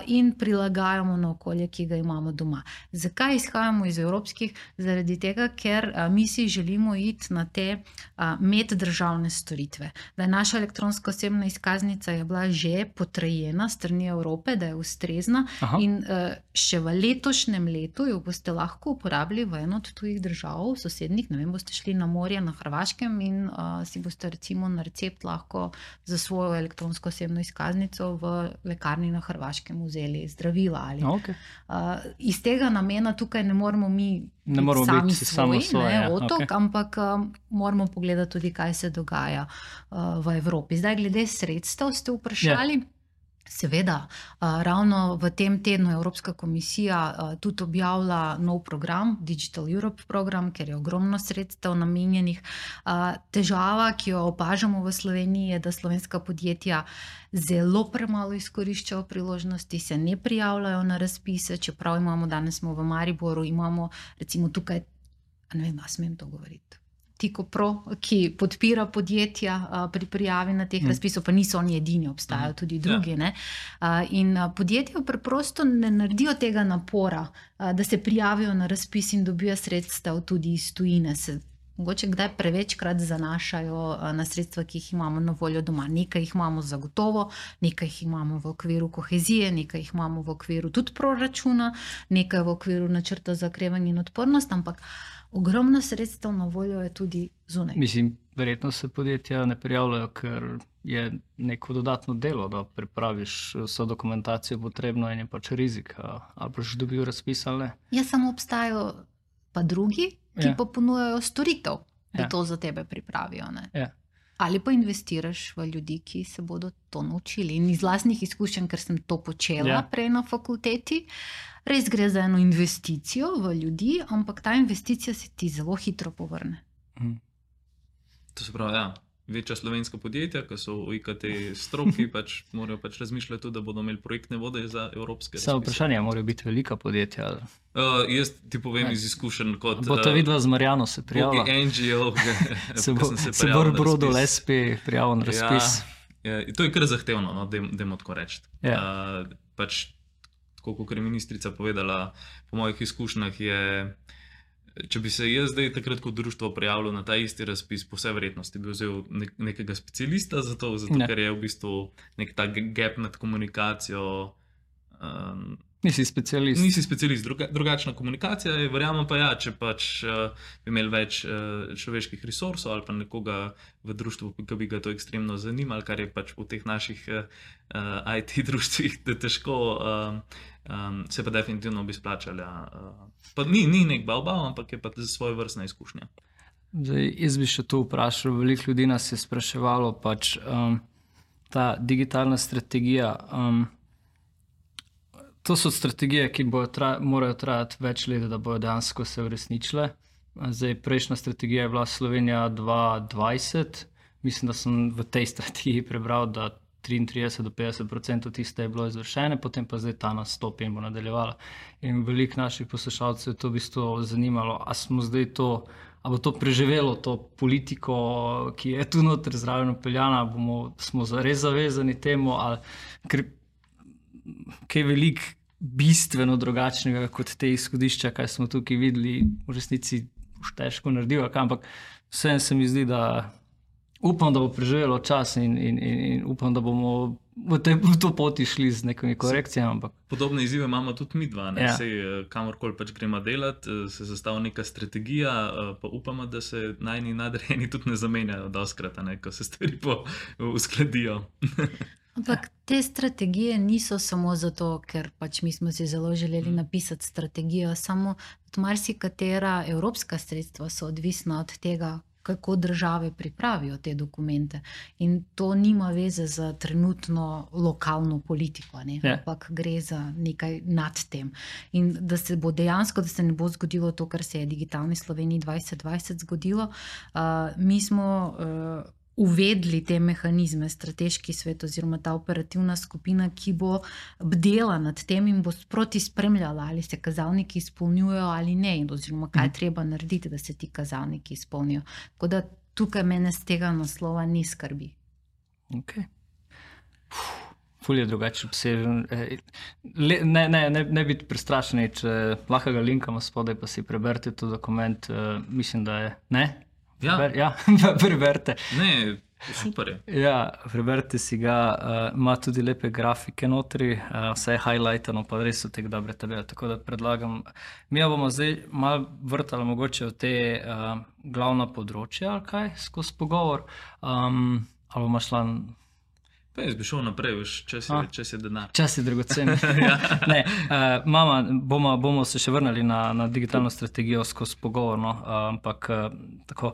in prilagajamo na okolje, ki ga imamo doma. Zakaj izhajamo iz evropskih? Zaradi tega, ker mi si želimo iti na te meddržavne storitve. Da je naša elektronska osebna izkaznica je bila že potrjena strani Evrope, da je ustrezna. Aha. In še v letošnjem letu jo boste lahko uporabili v eno od tujih držav, sosednjih, ne vem, boste šli na morje na Hrvaškem in uh, si boste recimo na recept lahko za svojo elektronsko osebno izkaznico v lekarni na Hrvaškem vzeli zdravila. Ali. Okay. Uh, iz tega namena tukaj ne moramo mi ne moramo sami biti svoj, samo svoje, ne, otok, okay. ampak um, moramo pogledati tudi, kaj se dogaja uh, v Evropi. Zdaj, glede sredstev ste vprašali. Yeah. Seveda, uh, ravno v tem tednu Evropska komisija uh, tudi objavlja nov program, Digital Europe program, ker je ogromno sredstev namenjenih. Uh, težava, ki jo opažamo v Sloveniji, je, da slovenska podjetja zelo premalo izkoriščajo priložnosti, se ne prijavljajo na razpise, čeprav imamo, danes smo v Mariboru, imamo recimo tukaj, ne vem, a smem to govoriti, Tikopro, ki podpira podjetja uh, pri prijavi na teh mm. razpisov, pa niso oni edini, obstajajo tudi drugi. Ne? Uh, in uh, podjetja preprosto ne naredijo tega napora, uh, da se prijavijo na razpis in dobijo sredstev tudi iz tujine. Se mogoče kdaj prevečkrat zanašajo na sredstva, ki jih imamo na voljo doma. Nekaj jih imamo zagotovo, nekaj jih imamo v okviru kohezije, nekaj jih imamo v okviru tudi proračuna, nekaj v okviru načrta za okrevanje in odpornost, ampak ogromno sredstev na voljo je tudi zunaj. Mislim, verjetno se podjetja ne prijavljajo, ker je neko dodatno delo, da pripraviš vso dokumentacijo potrebno in je pač rizik, ali boš dobil razpis ali ne. Ja, samo obstajajo pa drugi, ki Ja. pa ponujajo storitev, da Ja. to za tebe pripravijo. Ne? Ja. Ali pa investiraš v ljudi, ki se bodo to naučili. In iz lastnih izkušenj, ker sem to počela Ja. prej na fakulteti, res gre za eno investicijo v ljudi, ampak ta investicija se ti zelo hitro povrne. Mhm. To se pravi, ja, večja slovenska podjetja, ki so v I K T stroki, pač morajo pač razmišljati tudi, da bodo imeli projektne vode za evropske Samo razpise. vprašanje, morajo biti velika podjetja. ali- Uh, jaz ti povem Ja. iz izkušenj kot Bo ta vidva z Marjano se prijavila. N G O, Se bo, se bo Brodol S P prijavil na razpis. Ja, ja, to je kar zahtevno, no, dajmo tako reči. Ja. Uh, pač, tako kot je ministrica povedala, po mojih izkušnjah je, če bi se jaz zdaj takrat kot društvo prijavil na ta isti razpis, po vsej verjetnosti bi vzel nek, nekega specialista za to, zato Ja. ker je v bistvu nek ta gap med komunikacijo. Um, Nisi specialist. Nisi specialist, druga, drugačna komunikacija je, verjamem pa ja, če pač uh, bi imeli več uh, človeških resursov ali pa nekoga v društvu, ki bi ga to ekstremno zanimalo, kar je pač v teh naših uh, I T društvih težko, um, um, se pa definitivno bi splačali. Uh, pa ni, ni nek bav-bav, ampak je pa svoje vrstna izkušnja. Zdaj, jaz bi še to vprašal, veliko ljudi nas je spraševalo, pač um, ta digitalna strategija. Um, To so strategije, ki tra, morajo trajati več let, da bodo dejansko se uresničile. Zdaj, prejšnja strategija je bila Slovenija dva tisoč dvajset. Mislim, da sem v tej strategiji prebral, da triintrideset do petdeset odstotkov tiste je bilo izvršene, potem pa zdaj ta nastop in bo nadaljevala. In veliko naših poslušalcev je to v bistvu zanimalo, a smo zdaj to, a bo to preživelo to politiko, ki je tu noter zraven upeljana, bomo, smo res zavezani temu, ali ker kaj veliko bistveno drugačnega kot te izhodišča, kaj smo tukaj videli, v resnici už težko naredil, ampak vseeno se mi zdi, da upam, da bo preživelo čas in, in, in, in upam, da bomo v, te, v to poti šli z nekimi korekcijami. Ampak... Podobne izzive imamo tudi mi dva, Ja. Sej, kamorkoli pač gremo delati, se zastavi neka strategija, pa upamo, da se najni nadrejeni tudi ne zamenjajo doskrat, ne, ko se stvari po, uskladijo. Ampak te strategije niso samo zato, ker pač mi smo si zelo želeli napisati strategijo, samo marsikatera evropska sredstva so odvisna od tega, kako države pripravijo te dokumente. In to nima veze za trenutno lokalno politiko, ne? Ja. Ampak gre za nekaj nad tem. In da se bo dejansko, da se ne bo zgodilo to, kar se je digitalni Sloveniji dvajset dvajset zgodilo, uh, mi smo uh, uvedli te mehanizme, strateški svet oziroma ta operativna skupina, ki bo bdela nad tem in bo sproti spremljala, ali se kazalniki izpolnjujejo ali ne, oziroma kaj je treba narediti, da se ti kazalniki izpolnijo. Tako da tukaj mene z tega naslova ni skrbi. Okay. Ful je drugače obsežen. Le, ne, ne, ne, ne biti prestrašeni, če lahko ga linkamo spodaj, pa si preberite to dokument. Uh, mislim, da je ne. Ja, Preber, ja preberite. ne, super je. Ja, preberite si ga, uh, ima tudi lepe grafike notri, uh, vse je highlightano, pa res so te dobre tabele. Tako da predlagam, mi bomo zdaj malo vrtali mogoče v te uh, glavna področja, ali kaj, skozi pogovor. Um, ali bomo šla... Pa jaz bi šel naprej, veš, čas je, čas je denar. Čas je dragocen. Ne, uh, mama, bomo, bomo se še vrnili na, na digitalno strategijo skozi pogovor, no, uh, ampak uh, tako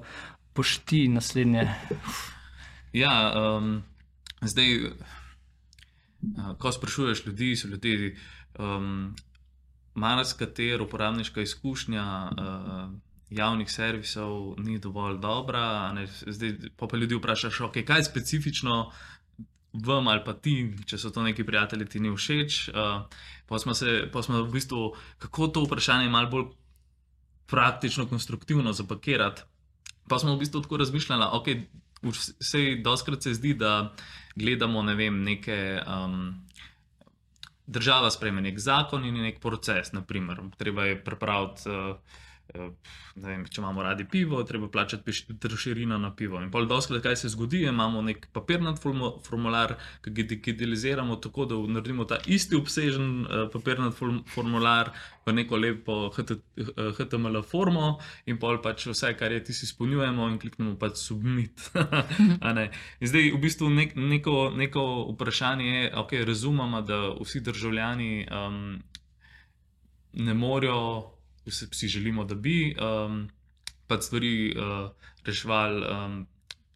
pošti naslednje. Ja, um, zdaj, uh, ko sprašuješ ljudi, so ljudi, um, marsikatera uporabniška izkušnja uh, javnih servisov ni dovolj dobra. Ne, zdaj, pa, pa ljudi vprašaš, okay, kaj je specifično vam ali pa ti, če so to neki prijatelji, ti ni všeč. Uh, pa, smo se, pa smo v bistvu, kako to vprašanje malo bolj praktično, konstruktivno zapakirati. Pa smo v bistvu tako razmišljali, ok, vsej doskrat se zdi, da gledamo, ne vem, neke, um, država sprejme nek zakon in nek proces, naprimer, treba je pripraviti uh, ne vem, če imamo radi pivo, treba plačati trošarino na pivo. In pol doskrat, kaj se zgodi, imamo nek papirnat formular, ki ga digitaliziramo tako, da naredimo ta isti obsežen papirnat formular v neko lepo H T M L formo in pol pač vse, kar je tisti izpolnjujemo in kliknemo pač submit. In zdaj v bistvu nek, neko, neko vprašanje je, ok, razumemo, da vsi državljani um, ne morejo, vsi si želimo, da bi um, pač stvari uh, reševali, um,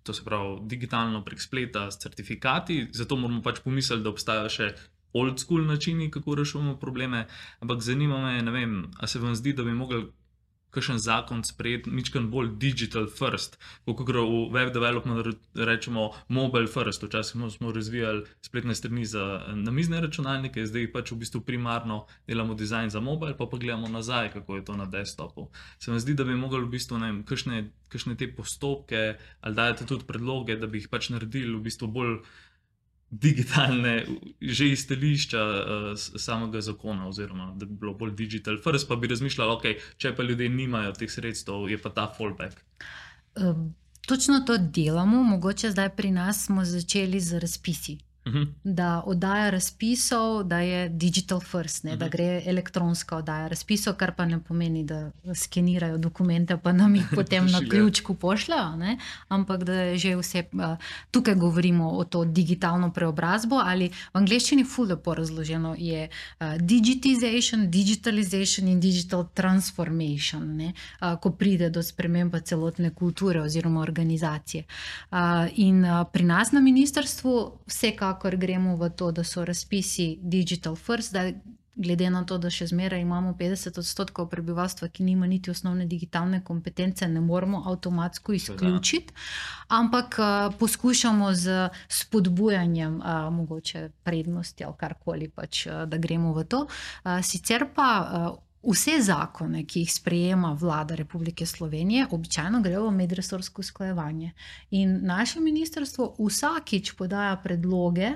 to se pravi digitalno prek spleta s certifikati, zato moramo pač pomisliti, da obstajajo še old school načini, kako rešujemo probleme, ampak zanima me, ne vem, a se vam zdi, da bi mogli kakšen zakon sprejeti mičkan bolj digital first, kako gre v web development rečemo mobile first, včasih smo razvijali spletne strani za namizne računalnike, zdaj pač v bistvu primarno delamo dizajn za mobile, pa pa gledamo nazaj, kako je to na desktopu. Se vam zdi, da bi mogli v bistvu, ne vem, kakšne, kakšne te postopke, ali dajete tudi predloge, da bi jih pač naredili v bistvu bolj digitalne, že iz stališča uh, samega zakona, oziroma da bi bilo bolj digital first, pa bi razmišljali, ok, če pa ljudje nimajo teh sredstev, je pa ta fallback. Um, točno to delamo, mogoče zdaj pri nas smo začeli z razpisi. Uh-huh. Da oddaja razpisov, da je digital first, ne, uh-huh. da gre elektronska oddaja razpisov, kar pa ne pomeni, da skenirajo dokumente, pa nam jih potem na ključku pošljajo, ne, ampak da je že vse, tukaj govorimo o to digitalno preobrazbo, ali v angleščini ful lepo razloženo je digitization, digitalization in digital transformation, ne, ko pride do spremembe celotne kulture oziroma organizacije. In pri nas na ministrstvu vsekakor kakor gremo v to, da so razpisi digital first, da glede na to, da še zmeraj imamo petdeset odstotkov prebivalstva, ki nima niti osnovne digitalne kompetence, ne moramo avtomatsko izključiti, ampak uh, poskušamo z spodbujanjem uh, mogoče prednosti ali karkoli pač, uh, da gremo v to. Uh, sicer pa uh, vse zakone, ki jih sprejema vlada Republike Slovenije, običajno grejo v medresorsko usklajevanje. In naše ministrstvo vsakič podaja predloge,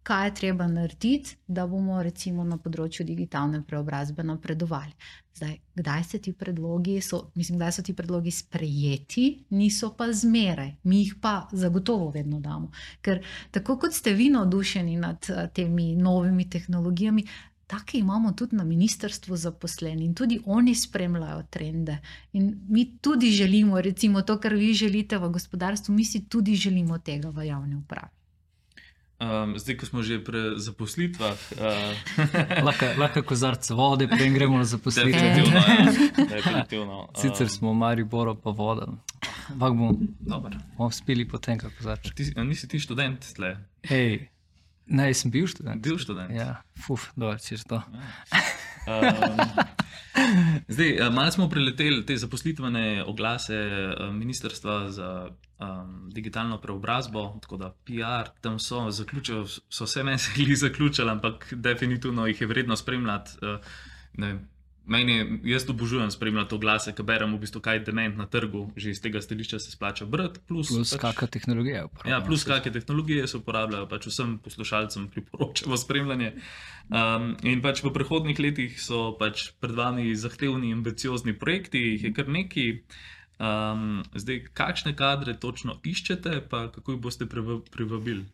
kaj je treba narediti, da bomo recimo na področju digitalne preobrazbe napredovali. Zdaj, kdaj se ti predlogi so, mislim, kdaj so ti predlogi sprejeti, niso pa zmeraj. Mi jih pa zagotovo vedno damo. Ker tako kot ste vi navdušeni nad temi novimi tehnologijami, take imamo tudi na ministrstvu zaposleni in tudi oni spremljajo trende. In mi tudi želimo, recimo to, kar vi želite v gospodarstvu, mi si tudi želimo tega v javni upravi. Um, zdaj, ko smo že pri zaposlitvah... Uh... lahko, lahko kozarc vode, preden gremo na zaposlitve. Definitivno, ja. Definitivno. Um... Sicer smo v Mariboru pa voda. Ampak bomo, dobro, bomo spili potem, kako kozarč. Ti, nisi ti študent tle? Hej, ne, sem bil študent. Bil študent? Ja, fuf, dobro, češ to. Um, zdaj, malo smo preleteli te zaposlitvene oglase Ministrstva za um, digitalno preobrazbo, tako da P R, tam so zaključili, so vse meseli zaključili, ampak definitivno jih je vredno spremljati. Uh, ne vem, meni je, jaz obožujem spremljati oglase, ki berem v bistvu, kaj je dement na trgu, že iz tega stališča se splača brati. Plus, plus pač, kakšne tehnologije uporabljajo. Ja, plus kakšne tehnologije se uporabljajo, pač vsem poslušalcem priporočamo spremljanje. Um, in pač v prihodnjih letih so pač pred vami zahtevni, ambiciozni projekti, jih je kar nekaj. Um, zdaj, kakšne kadre točno iščete, pa kako jih boste privabili?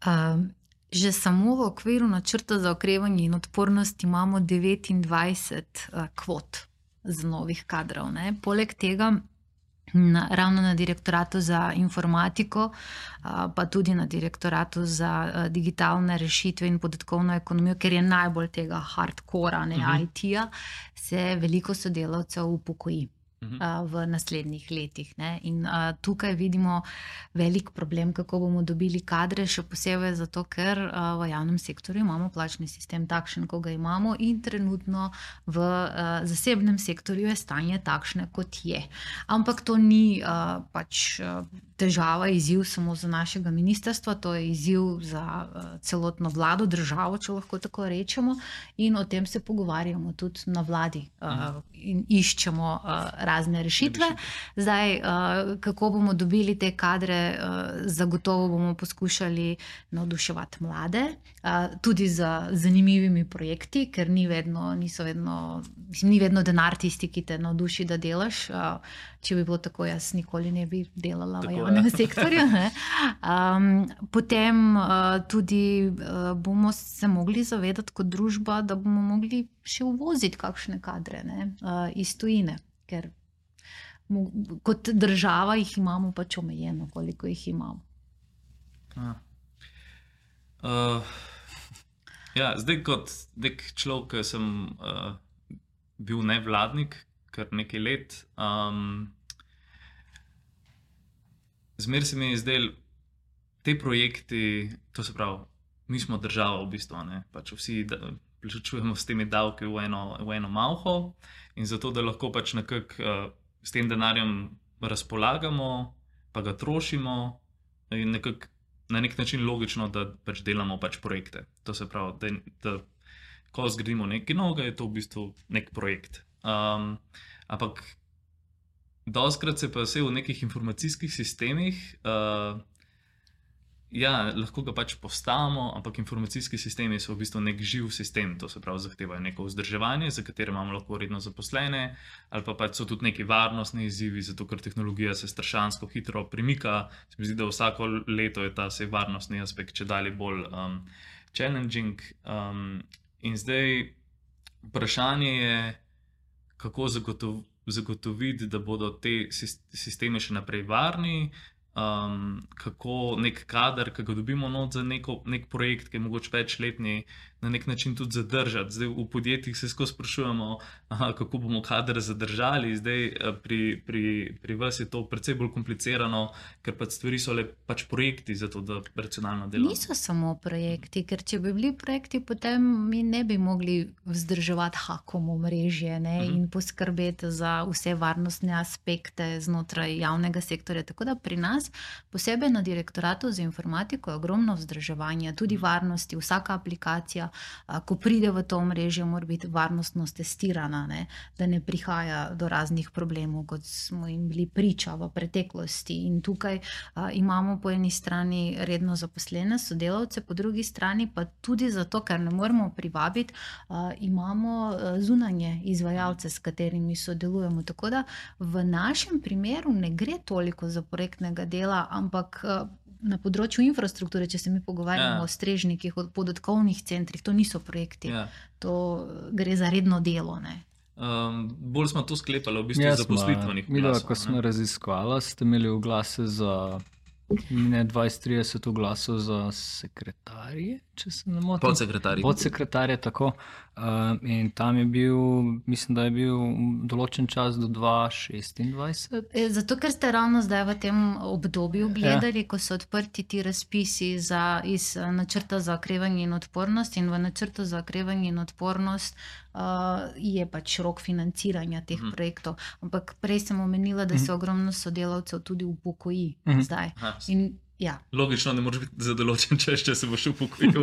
Um. Že samo v okviru načrta za okrevanje in odpornost imamo devetindvajset uh, kvot z novih kadrov. Ne? Poleg tega, na, ravno na direktoratu za informatiko, uh, pa tudi na direktoratu za uh, digitalne rešitve in podatkovno ekonomijo, ker je najbolj tega hardcora, ne uh-huh. I T-ja, se veliko sodelavcev upokoji v naslednjih letih. Ne? In a, tukaj vidimo velik problem, kako bomo dobili kadre, še posebej zato, ker a, v javnem sektorju imamo plačni sistem takšen, ko ga imamo in trenutno v a, zasebnem sektorju je stanje takšne, kot je. Ampak to ni a, pač a, težava, izziv samo za našega ministrstva, to je izziv za a, celotno vlado, državo, če lahko tako rečemo, in o tem se pogovarjamo tudi na vladi a, in iščemo a, razne rešitve. Zdaj, uh, kako bomo dobili te kadre, uh, zagotovo bomo poskušali navduševati mlade, uh, tudi z zanimivimi projekti, ker ni vedno, niso vedno, mislim, ni vedno denar tisti, ki te navduši, da delaš. Uh, če bi bilo tako, jaz nikoli ne bi delala tako v javnem je. sektorju. Um, potem uh, tudi uh, bomo se mogli zavedati kot družba, da bomo mogli še uvoziti kakšne kadre, ne, uh, iz tujine, ker mo, kot država jih imamo pač omejeno, koliko jih imamo. Uh, ja, zdaj kot nek človek, ki sem uh, bil nevladnik kar nekaj let, um, zmer se mi je zdel, te projekti, to se pravi, mi smo država v bistvu, ne, pač vsi da, plačujemo s temi davki v eno, v eno malho in zato, da lahko pač nekako uh, s tem denarjem razpolagamo, pa ga trošimo in nekako na nek način logično, da pač delamo pač projekte. To se pravi, da, da ko zgradimo nekaj novega, je to v bistvu nek projekt. Um, ampak dostikrat se pa vse v nekih informacijskih sistemih, uh, ja, lahko ga pač postavimo, ampak informacijski sistemi so v bistvu nek živ sistem, to se pravi zahtevajo neko vzdrževanje, za katere imamo lahko redno zaposlene, ali pa pač so tudi neki varnostni izzivi, zato ker tehnologija se strašansko hitro premika. Se mi zdi, da vsako leto je ta se varnostni aspekt čedalje bolj um, challenging. Um, in zdaj vprašanje je, kako zagotov, zagotoviti, da bodo te sisteme še naprej varni, um, kako nek kader, ki ga dobimo not za neko, nek projekt, ki je mogoče večletni, na nek način tudi zadržati. Zdaj v podjetjih se skozi sprašujemo, aha, kako bomo kader zadržali. Zdaj pri, pri, pri vas je to precej bolj komplicirano, ker pač stvari so le pač projekti za to, da racionalno delamo. Niso samo projekti, ker če bi bili projekti, potem mi ne bi mogli vzdrževati hakom omrežje, ne, uh-huh. in poskrbeti za vse varnostne aspekte znotraj javnega sektorja. Tako da pri nas, posebej na direktoratu za informatiko, je ogromno vzdrževanja, tudi uh-huh. varnosti, vsaka aplikacija, ko pride v to omrežje, mora biti varnostno testirana, ne, da ne prihaja do raznih problemov, kot smo jim bili priča v preteklosti. In tukaj a, imamo po eni strani redno zaposlene sodelavce, po drugi strani pa tudi zato, ker ne moremo privabiti, a, imamo a, zunanje izvajalce, s katerimi sodelujemo. Tako da v našem primeru ne gre toliko za projektnega dela, ampak a, na področju infrastrukture, če se mi pogovarjamo ja. o strežnikih, o podatkovnih centrih, to niso projekti, ja. to gre za redno delo. Ne? Um, bolj smo to sklepali v bistvu ja, zaposlitvenih oglasov. Ko smo raziskvala, ste imeli oglase za ne dvajset trideset oglasov za sekretarje, če se ne motim. Podsekretarje. Podsekretarje, tako. Uh, in tam je bil, mislim, da je bil določen čas do dva tisoč šestindvajset. Zato, ker ste ravno zdaj v tem obdobju gledali, ja. ko so odprti ti razpisi za, iz načrta za okrevanje in odpornost, in v načrtu za okrevanje in odpornost uh, je pač rok financiranja teh mm. projektov. Ampak prej sem omenila, da se mm. ogromno sodelavcev tudi upokoji mm. zdaj. Aha. In ja. Logično, ne moreš biti za določen čas, če se boš upokojil.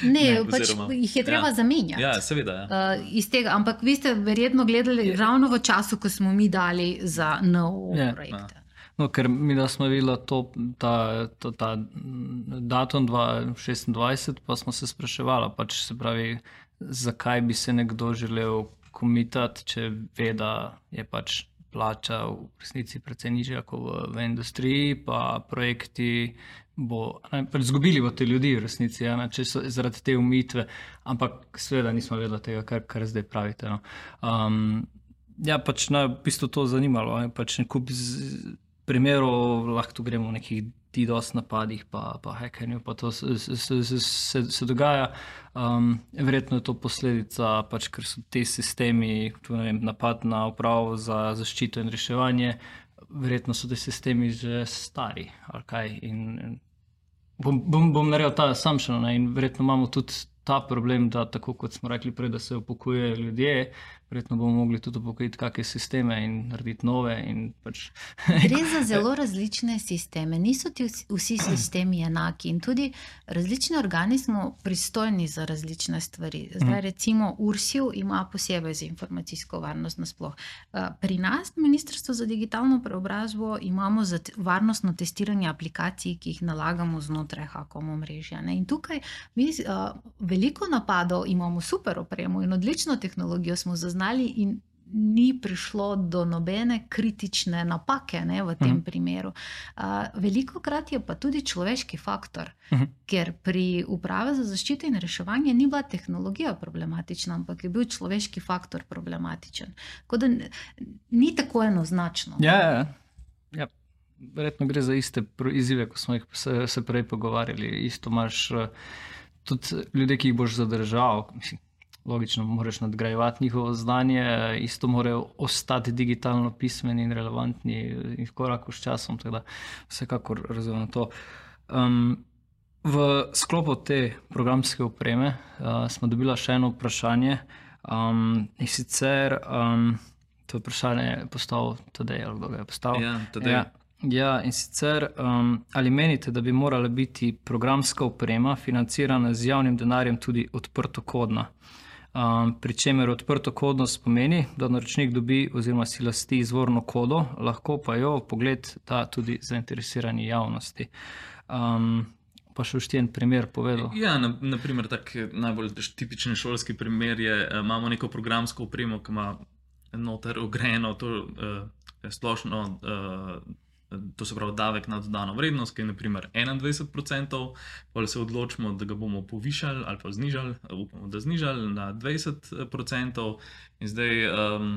Ne, ne pač oziroma, jih je treba ja. zamenjati. Ja, seveda. Ja. Uh, iz tega, ampak vi ste verjetno gledali je. ravno v času, ko smo mi dali za nov je. projekt. Ja. No, ker mi da smo videli to, ta, ta, ta datum dva tisoč šestindvajset, pa smo se spraševali, pač se pravi, zakaj bi se nekdo želel komitati, če ve, da je pač plača v resnici precej nižja kot v, v industriji, pa projekti bo, ne, pač zgubili bo te ljudi v resnici, ja, ne, če so zaradi te umitve, ampak seveda nismo vedeli tega, kar, kar zdaj pravite. No. Um, ja, pač na v bistvu to zanimalo, ne, pač nekup primerov, lahko tu gremo v nekih DDoS napadih, pa, pa hackerju, pa to se, se, se, se dogaja. Um, verjetno je to posledica, pač, ker so te sistemi, tu ne vem, napad na upravo za zaščito in reševanje, verjetno so te sistemi že stari, ali kaj. In, bom, bom, bom naredil ta assumption, ne, in verjetno imamo tudi ta problem, da tako kot smo rekli prej, da se upokojujejo ljudje, verjetno bomo mogli tudi upokojiti kakšne sisteme in narediti nove. In pač Gre za zelo različne sisteme. Niso ti vsi, vsi sistemi enaki in tudi različni organi smo pristojni za različne stvari. Zdaj recimo Ursil ima posebej za informacijsko varnost nasploh. Pri nas, Ministrstvo za digitalno preobrazbo, imamo za varnostno testiranje aplikacij, ki jih nalagamo znotraj Hakom omrežja. Ne? In tukaj mi uh, veliko napadov, imamo super opremo in odlično tehnologijo smo zaznali in ni prišlo do nobene kritične napake, ne, v tem uh-huh. primeru. Uh, veliko krat je pa tudi človeški faktor, uh-huh. ker pri Upravi za zaščito in reševanje ni bila tehnologija problematična, ampak je bil človeški faktor problematičen. Tako da ni tako enoznačno. Ja, ja, ja. Verjetno gre za iste izzive, ko smo jih se, se prej pogovarjali. Isto imaš tudi ljudje, ki jih boš zadržal, mislim, logično, moraš nadgrajevati njihovo znanje, isto morajo ostati digitalno pismeni in relevantni in v koraku s časom, tako da vsekakor razumem to. Um, v sklopu te programske opreme uh, smo dobila še eno vprašanje um, in sicer um, to vprašanje je postavil Tadej, ali kdo ga je postavil? Ja, Tadej. Ja. Ja, in sicer, um, ali menite, da bi morala biti programska oprema financirana z javnim denarjem tudi odprtokodna? Um, pri čemer odprtokodnost pomeni, da naročnik dobi oziroma si lasti izvorno kodo, lahko pa jo pogled da tudi zainteresirani javnosti. Um, pa še všti en primer povedal. Ja, na, na primer, tak najbolj tipičen šolski primer je, imamo neko programsko opremo, ki ima noter ogrejeno to uh, splošno uh, to se pravi davek na dodano vrednost, ki je na primer enaindvajset procentov, pa se odločimo, da ga bomo povišali ali pa znižali, upamo, da znižali na dvajset procentov. In zdaj, um,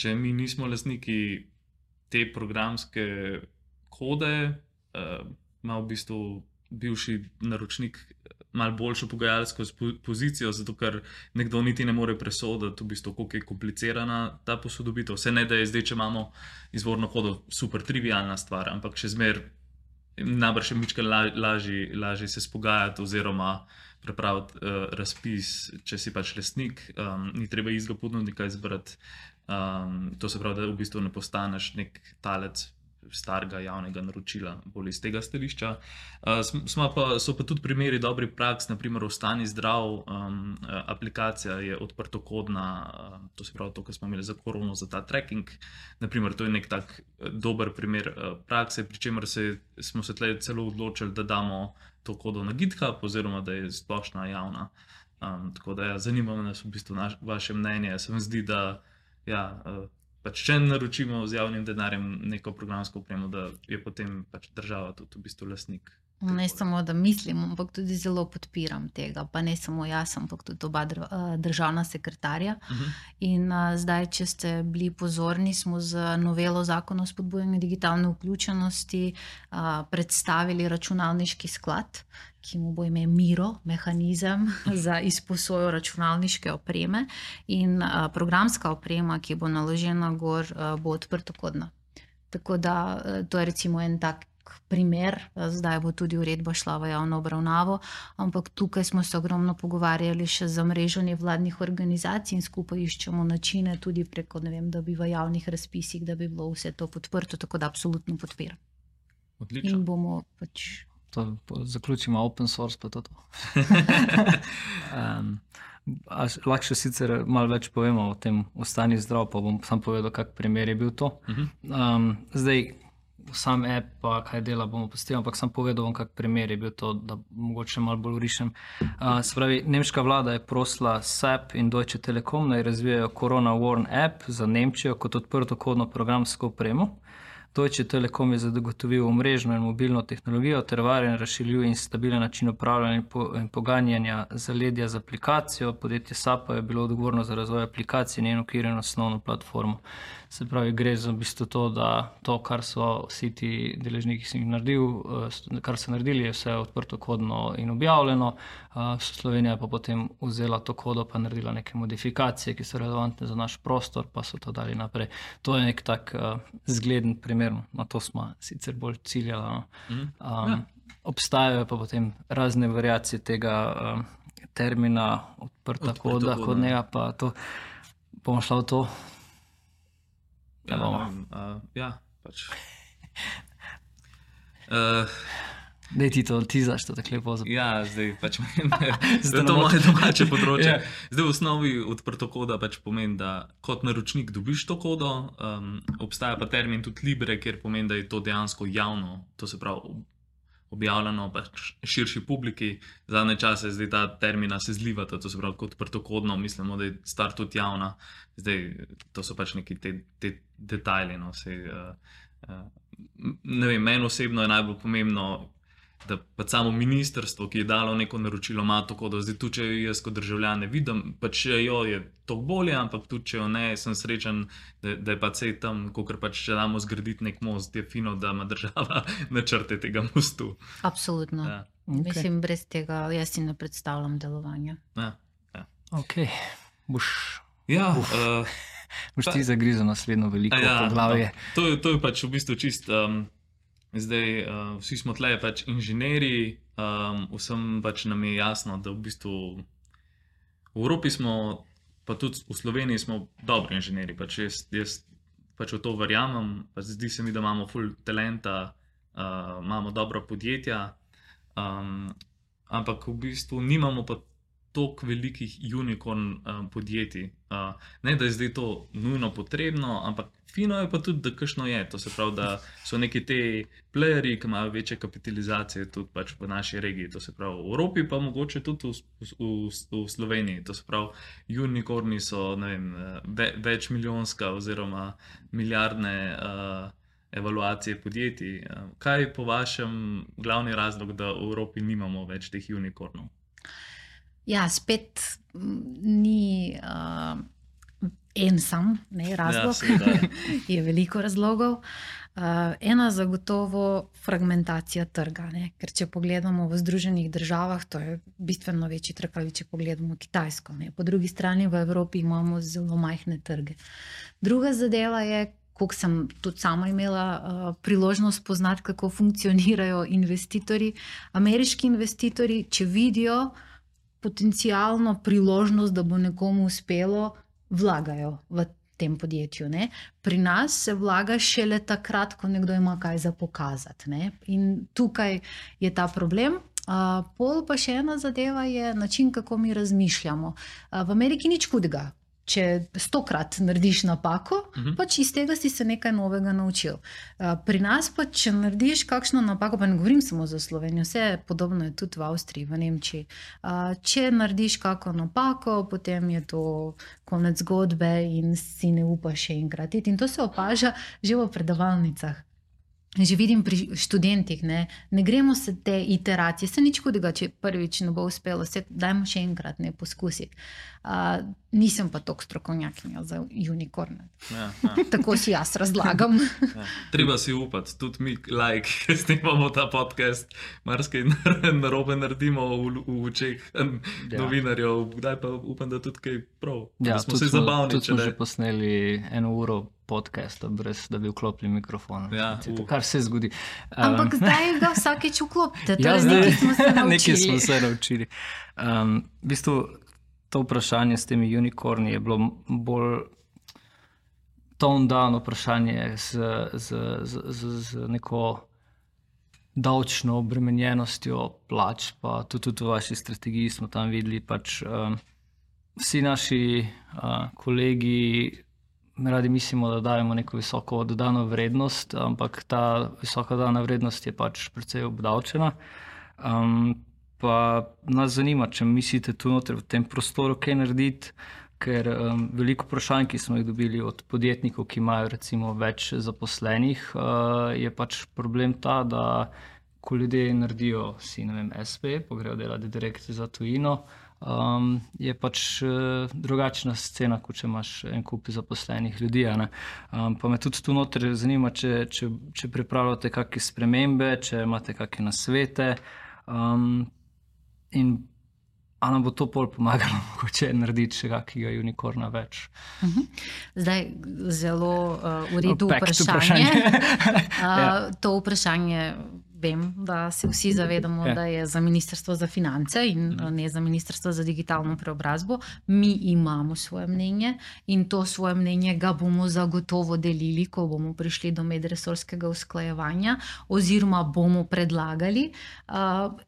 če mi nismo lastniki te programske kode, uh, ima v bistvu bivši naročnik malo boljšo pogajalsko pozicijo, zato ker nekdo niti ne more presoditi, v bistvu, koliko je komplicirana ta posodobitev. Vse ne, da je zdaj, če imamo izvorno kodo, super trivialna stvar, ampak še zmer najbrž je mička lažje, lažje se spogajati oziroma prepraviti uh, razpis, če si pač lastnik, um, ni treba istega ponudnika izbrati. Um, to se pravi, da v bistvu ne postaneš nek talec starega javnega naročila, bolj iz tega stališča. Uh, smo pa, so pa tudi primeri dobrih praks, naprimer Ostani zdrav, um, aplikacija je odprtokodna, uh, to se pravi to, kar smo imeli za korono, za ta tracking. Naprimer, to je nek tak dober primer uh, prakse, pri čemer se, smo se tle celo odločili, da damo to kodo na GitHub, oziroma da je splošna javna. Um, tako da ja, zanima nas v bistvu naš, vaše mnenje. Se mi zdi, da ja, uh, pač če naročimo z javnim denarjem neko programsko opremo, da je potem pač država tudi v bistvu lastnik. Ne samo, da mislim, ampak tudi zelo podpiram tega, pa ne samo jaz, ampak tudi oba državna sekretarja. Uh-huh. In uh, zdaj, če ste bili pozorni, smo z novelo zakona o spodbujanju digitalne vključenosti uh, predstavili računalniški sklad, ki mu bo ime Miro, mehanizem za izposojo računalniške opreme, in uh, programska oprema, ki bo naložena gor, uh, bo odprtokodna. Tako da uh, to je recimo en tak primer, zdaj bo tudi uredba šla v javno obravnavo, ampak tukaj smo se ogromno pogovarjali še za mrežo nevladnih organizacij in skupaj iščemo načine tudi preko, ne vem, da bi v javnih razpisih, da bi bilo vse to podprto, tako da absolutno podpiram. Odlično. In bomo pač... To zaključimo open source, pa to to. um, lahko še sicer malo več povemo o tem Ostani zdrav, pa bom sam povedal, kak primer je bil to. Uh-huh. Um, zdaj, sam app, pa kaj dela, bomo postili, ampak sam povedal vam, kak primer je bil to, da mogoče malo bolj urišem. Uh, se pravi, nemška vlada je prosila S A P in Deutsche Telekom, naj razvijajo Corona Warn app za Nemčijo kot odprtokodno programsko opremo. Deutsche Telekom je zagotovil omrežno in mobilno tehnologijo ter varen, razširljiv in stabilen način upravljanja in poganjanja zaledja z aplikacijo. Podjetje S A P je bilo odgovorno za razvoj aplikacije in njeno okvirjeno osnovno platformo. Se pravi, gre za v bistvu to, da to, kar so vsi ti deležniki si naredil, kar so naredili, je vse odprtokodno in objavljeno. Slovenija pa potem vzela to kodo pa naredila neke modifikacije, ki so relevantne za naš prostor, pa so to dali naprej. To je nek tak uh, zgleden primer, na to smo sicer bolj ciljali. No. Um, ja. Obstajajo pa potem razne variacije tega um, termina odprta koda, kodnega, pa to Bomo šla v to? Ja, Ne bomo. uh, ja pač. Uh, Dej ti to, ti zaš to tako lepo zapisati. Ja, zdaj pač menim, da je Zdaj to ne moje domače področje. Ja. Zdaj v osnovi odprto koda pač pomeni, da kot naročnik dobiš to kodo, um, obstaja pa termin tudi Libre, kjer pomeni, da je to dejansko javno, to se pravi objavljeno pač širši publiki. Zadnje čase zdaj ta termina se zlivata, to se pravi kot odprtokodno, mislimo, da je stvar tudi javna. Zdaj to so pač neki te, te detajli. No, sej, uh, uh, ne vem, meni osebno je najbolj pomembno, da pa samo ministrstvo, ki je dalo neko naročilo, ima to kodo. Zdaj tudi, če jaz kot državljan ne vidim, pa če jo je to bolje, ampak tudi, če jo ne, sem srečen, da, da je pa vse tam, kakor pač če damo zgraditi nek most, je fino, da ima država načrte tega mostu. Absolutno. Ja. Okay. Mislim, brez tega jaz si ne predstavljam delovanja. Ja, ja. Ok, boš, ja uh, boš ti zagrizel naslednjo veliko ja, poglavje. no, to, je- to je pač v bistvu čist. Um, zdaj, uh, vsi smo tle pač inženirji, um, vsem pač nam je jasno, da v bistvu v Evropi smo, pa tudi v Sloveniji smo dobri inženirji. Pač jaz, jaz pač v to verjamem, pač zdi se mi, da imamo ful talenta, uh, imamo dobra podjetja, um, ampak v bistvu nimamo pa toliko velikih unicorn um, podjetij. Uh, ne, da je zdaj to nujno potrebno, ampak fino je pa tudi, da kakšno je. To se pravi, da so neki te playerji, ki imajo večje kapitalizacije tudi pač v naši regiji. To se pravi v Evropi, pa mogoče tudi v, v, v, v Sloveniji. To se pravi, unicorni so, ne vem, ve, večmilijonska oziroma milijardne uh, evaluacije podjetij. Uh, kaj je po vašem glavni razlog, da v Evropi nimamo več teh unicornov? Ja, spet m, ni uh, en sam ne, razlog, seveda, ja. je veliko razlogov. Uh, ena zagotovo fragmentacija trga, ne? Ker če pogledamo v Združenih državah, to je bistveno večji trg, ali če pogledamo Kitajsko. Ne? Po drugi strani v Evropi imamo zelo majhne trge. Druga zadeva je, koliko sem tudi sama imela uh, priložnost poznati, kako funkcionirajo investitorji. Ameriški investitorji, če vidijo potencialno priložnost, da bo nekomu uspelo, vlagajo v tem podjetju. Ne? Pri nas se vlaga šele takrat, ko nekdo ima kaj za pokazati. Ne? In tukaj je ta problem. Uh, pol pa še ena zadeva je način, kako mi razmišljamo. Uh, v Ameriki nič hudega. Če stokrat narediš napako, Mhm. pač iz tega si se nekaj novega naučil. Uh, pri nas pa, če narediš kakšno napako, pa ne govorim samo za Slovenijo, vse podobno je tudi v Avstriji, v Nemčiji. Uh, če narediš kako napako, potem je to konec zgodbe in si ne upaš še enkrat iti. In to se opaža že v predavalnicah. Že vidim pri študentih, ne, ne gremo se te iteracije, se nič hudega, če prvič ne bo uspelo, se dajmo še enkrat ne poskusiti. Uh, nisem pa toliko strokovnjakinja za unicorne. Ja, ja. Tako si jaz razlagam. Ja. Treba si upati, tudi mi, like, ki snimamo ta podcast, marsikaj narobe naredimo v, v očeh Ja. novinarjev, kdaj pa upam, da tudi kaj prav. Ja, da smo tudi se zabavni, tudi če smo ne. že posneli eno uro podcasta, brez da bi vklopili mikrofon. Ja, To, uh. kar se zgodi. Ampak zdaj ga vsakeč vklopite, Ja, torej zdaj- nekaj smo se naučili. Nekaj smo se naučili. Um, v bistvu to vprašanje s temi unicorni je bilo bolj toned down vprašanje z, z, z, z, z neko davčno obremenjenostjo plač, pa tudi, tudi v vaši strategiji smo tam videli, pač um, vsi naši uh, kolegi radi mislimo, da dajemo neko visoko dodano vrednost, ampak ta visoka dodana vrednost je pač precej obdavčena. Um, pa nas zanima, če mislite tu noter v tem prostoru kaj narediti, ker um, veliko vprašanj, ki smo jih dobili od podjetnikov, ki imajo recimo več zaposlenih, uh, je pač problem ta, da ko ljudje naredijo si, ne vem, es pe, pa grejo delati direkt za tujino, Um, je pač uh, drugačna scena, kot če imaš en kup zaposlenih ljudi. a ne. Um, pa me tudi tu noter zanima, če, če, če pripravljate kakšne spremembe, če imate kakšne nasvete um, in a nam bo to pol pomagalo, mogoče narediti še kakega unicorna več. Zdaj, zelo uh, v redu Back to vprašanje. vprašanje. uh, Ja. to vprašanje vem, da se vsi zavedamo, Ja. da je za Ministrstvo za finance in ne za Ministrstvo za digitalno preobrazbo. Mi imamo svoje mnenje in to svoje mnenje ga bomo zagotovo delili, ko bomo prišli do medresorskega usklajevanja oziroma bomo predlagali. Uh,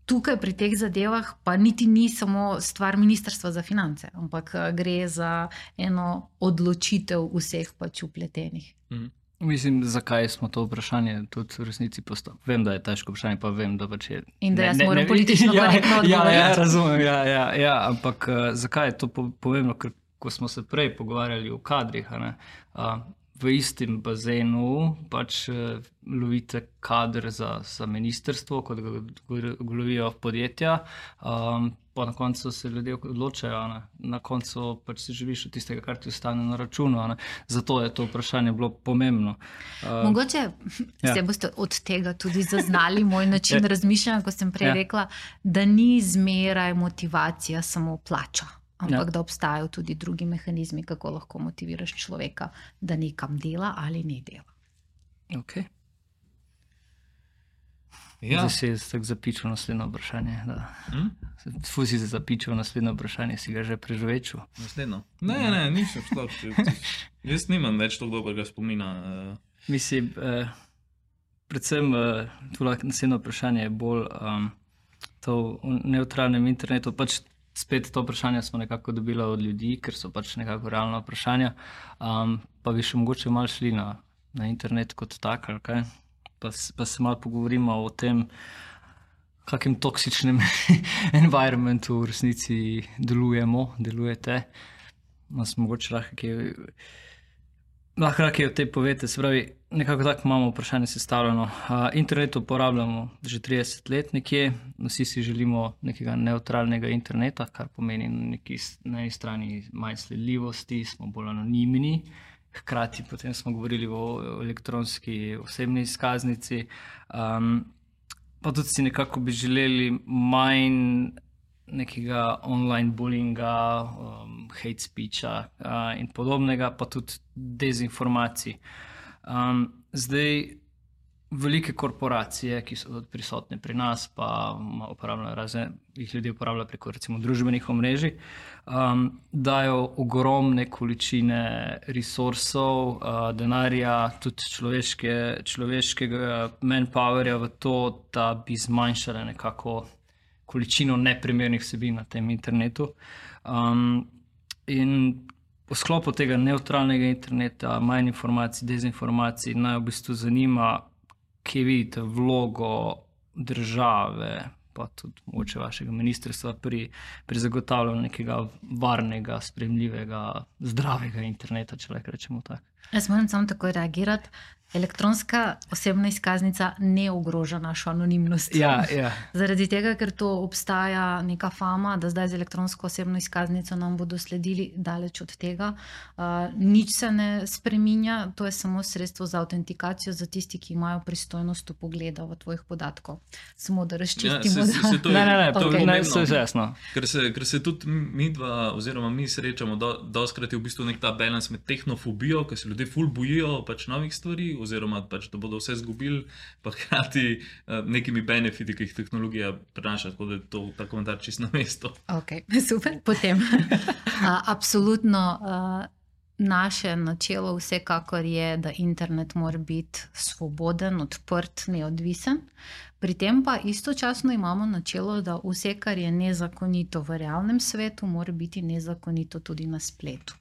Tukaj pri teh zadevah pa niti ni samo stvar Ministrstva za finance, ampak uh, gre za eno odločitev vseh pač vpletenih. Mhm. Mislim, zakaj smo to vprašanje tudi v resnici postavili. Vem, da je težko vprašanje, pa vem, da pač je. In da ne- jaz ne- moram ne- politično ja, korektno ja, odgovoriti. ja, razumem, ja, ja, ja, ampak uh, zakaj je to po- pomembno? Ker ko smo se prej pogovarjali o kadrih, a ne, uh, v istem bazenu pač uh, lovite kader za, za ministrstvo, kot ga go- lovijo podjetja, um, pa na koncu se ljudje odločajo, a ne. Na koncu pač si živiš od tistega, kar ti ostane na računu, a ne. Zato je to vprašanje bilo pomembno. Uh, Mogoče ja. se boste od tega tudi zaznali moj način razmišljanja, ko sem prej Ja. rekla, da ni zmeraj motivacija samo plača, ampak Ja. da obstajajo tudi drugi mehanizmi, kako lahko motiviraš človeka, da nekam dela ali ne dela. okay. Ja. Zdaj si jaz tako zapičil naslednje vprašanje. Hm? Ful si se zapičil naslednje vprašanje, si ga že preživečil. Naslednjo. Ne, ne, nisem sploh. Jaz nimam več tako dobrega spomina. eh. Mislim, eh, predvsem eh, tole naslednje vprašanje je bolj um, to v nevtralnem internetu. Pač spet to vprašanje smo nekako dobili od ljudi, ker so pač nekako realna vprašanja. Um, pa bi še mogoče malo šli na, na internet kot tak, ali kaj? Pa, s- pa se malo pogovorimo o tem, kakem toksičnem environmentu v resnici delujemo, delujete. Nas mogoče lahko kaj, lahko kaj o tem povete. Se pravi, nekako tako imamo vprašanje sestavljeno. Uh, internet uporabljamo že trideset let nekje, vsi si želimo nekega neutralnega interneta, kar pomeni na, neki, s- na eni strani manj sledljivosti, smo bolj anonimni. Hkrati potem smo govorili o elektronski osebni izkaznici, um, pa tudi si nekako bi želeli manj nekega online bullyinga, um, hate speecha uh, in podobnega, pa tudi dezinformacij. Um, zdaj, velike korporacije, ki so tudi prisotne pri nas, pa ma- uporabljajo razne, jih ljudje uporabljajo preko recimo družbenih omrežij, um, dajo ogromne količine resursov, uh, denarja, tudi človeške, človeškega manpowerja v to, da bi zmanjšale nekako količino neprimernih vsebin na tem internetu. Um, in v sklopu tega neutralnega interneta, manj informacij, dezinformacij, naj v bistvu zanima, kje vidite vlogo države, pa tudi mogoče vašega ministrstva pri, pri zagotavljanju nekega varnega, sprejemljivega, zdravega interneta, če lahko rečemo tako. Jaz moram samo takoj reagirati. Elektronska osebna izkaznica ne ogroža našo anonimnost. Ja, ja. Zaradi tega, ker to obstaja neka fama, da zdaj z elektronsko osebno izkaznico nam bodo sledili, daleč od tega. Uh, nič se ne spreminja, to je samo sredstvo za avtentikacijo za tisti, ki imajo pristojnost vpogleda v tvojih podatkov. Samo da razčistimo. Ja, se- se- se to je- Ne, ne, ne, to Okej. okay. ne, pomembno. vse je jasno. Ker se, ker se tudi mi dva, oziroma mi srečamo, do, doskrat je v bistvu nek ta balans med tehnofobijo, ker se ljudje ful bojijo pač novih stvari, oziroma pač, da bodo vse izgubili, pa hkrati uh, nekimi benefiti, ki jih tehnologija prinaša, tako da je to ta komentar čisto na mestu. Okay, super, potem. A, absolutno a, naše načelo vsekakor je, da internet mora biti svoboden, odprt, neodvisen. Pri tem pa istočasno imamo načelo, da vse, kar je nezakonito v realnem svetu, mora biti nezakonito tudi na spletu.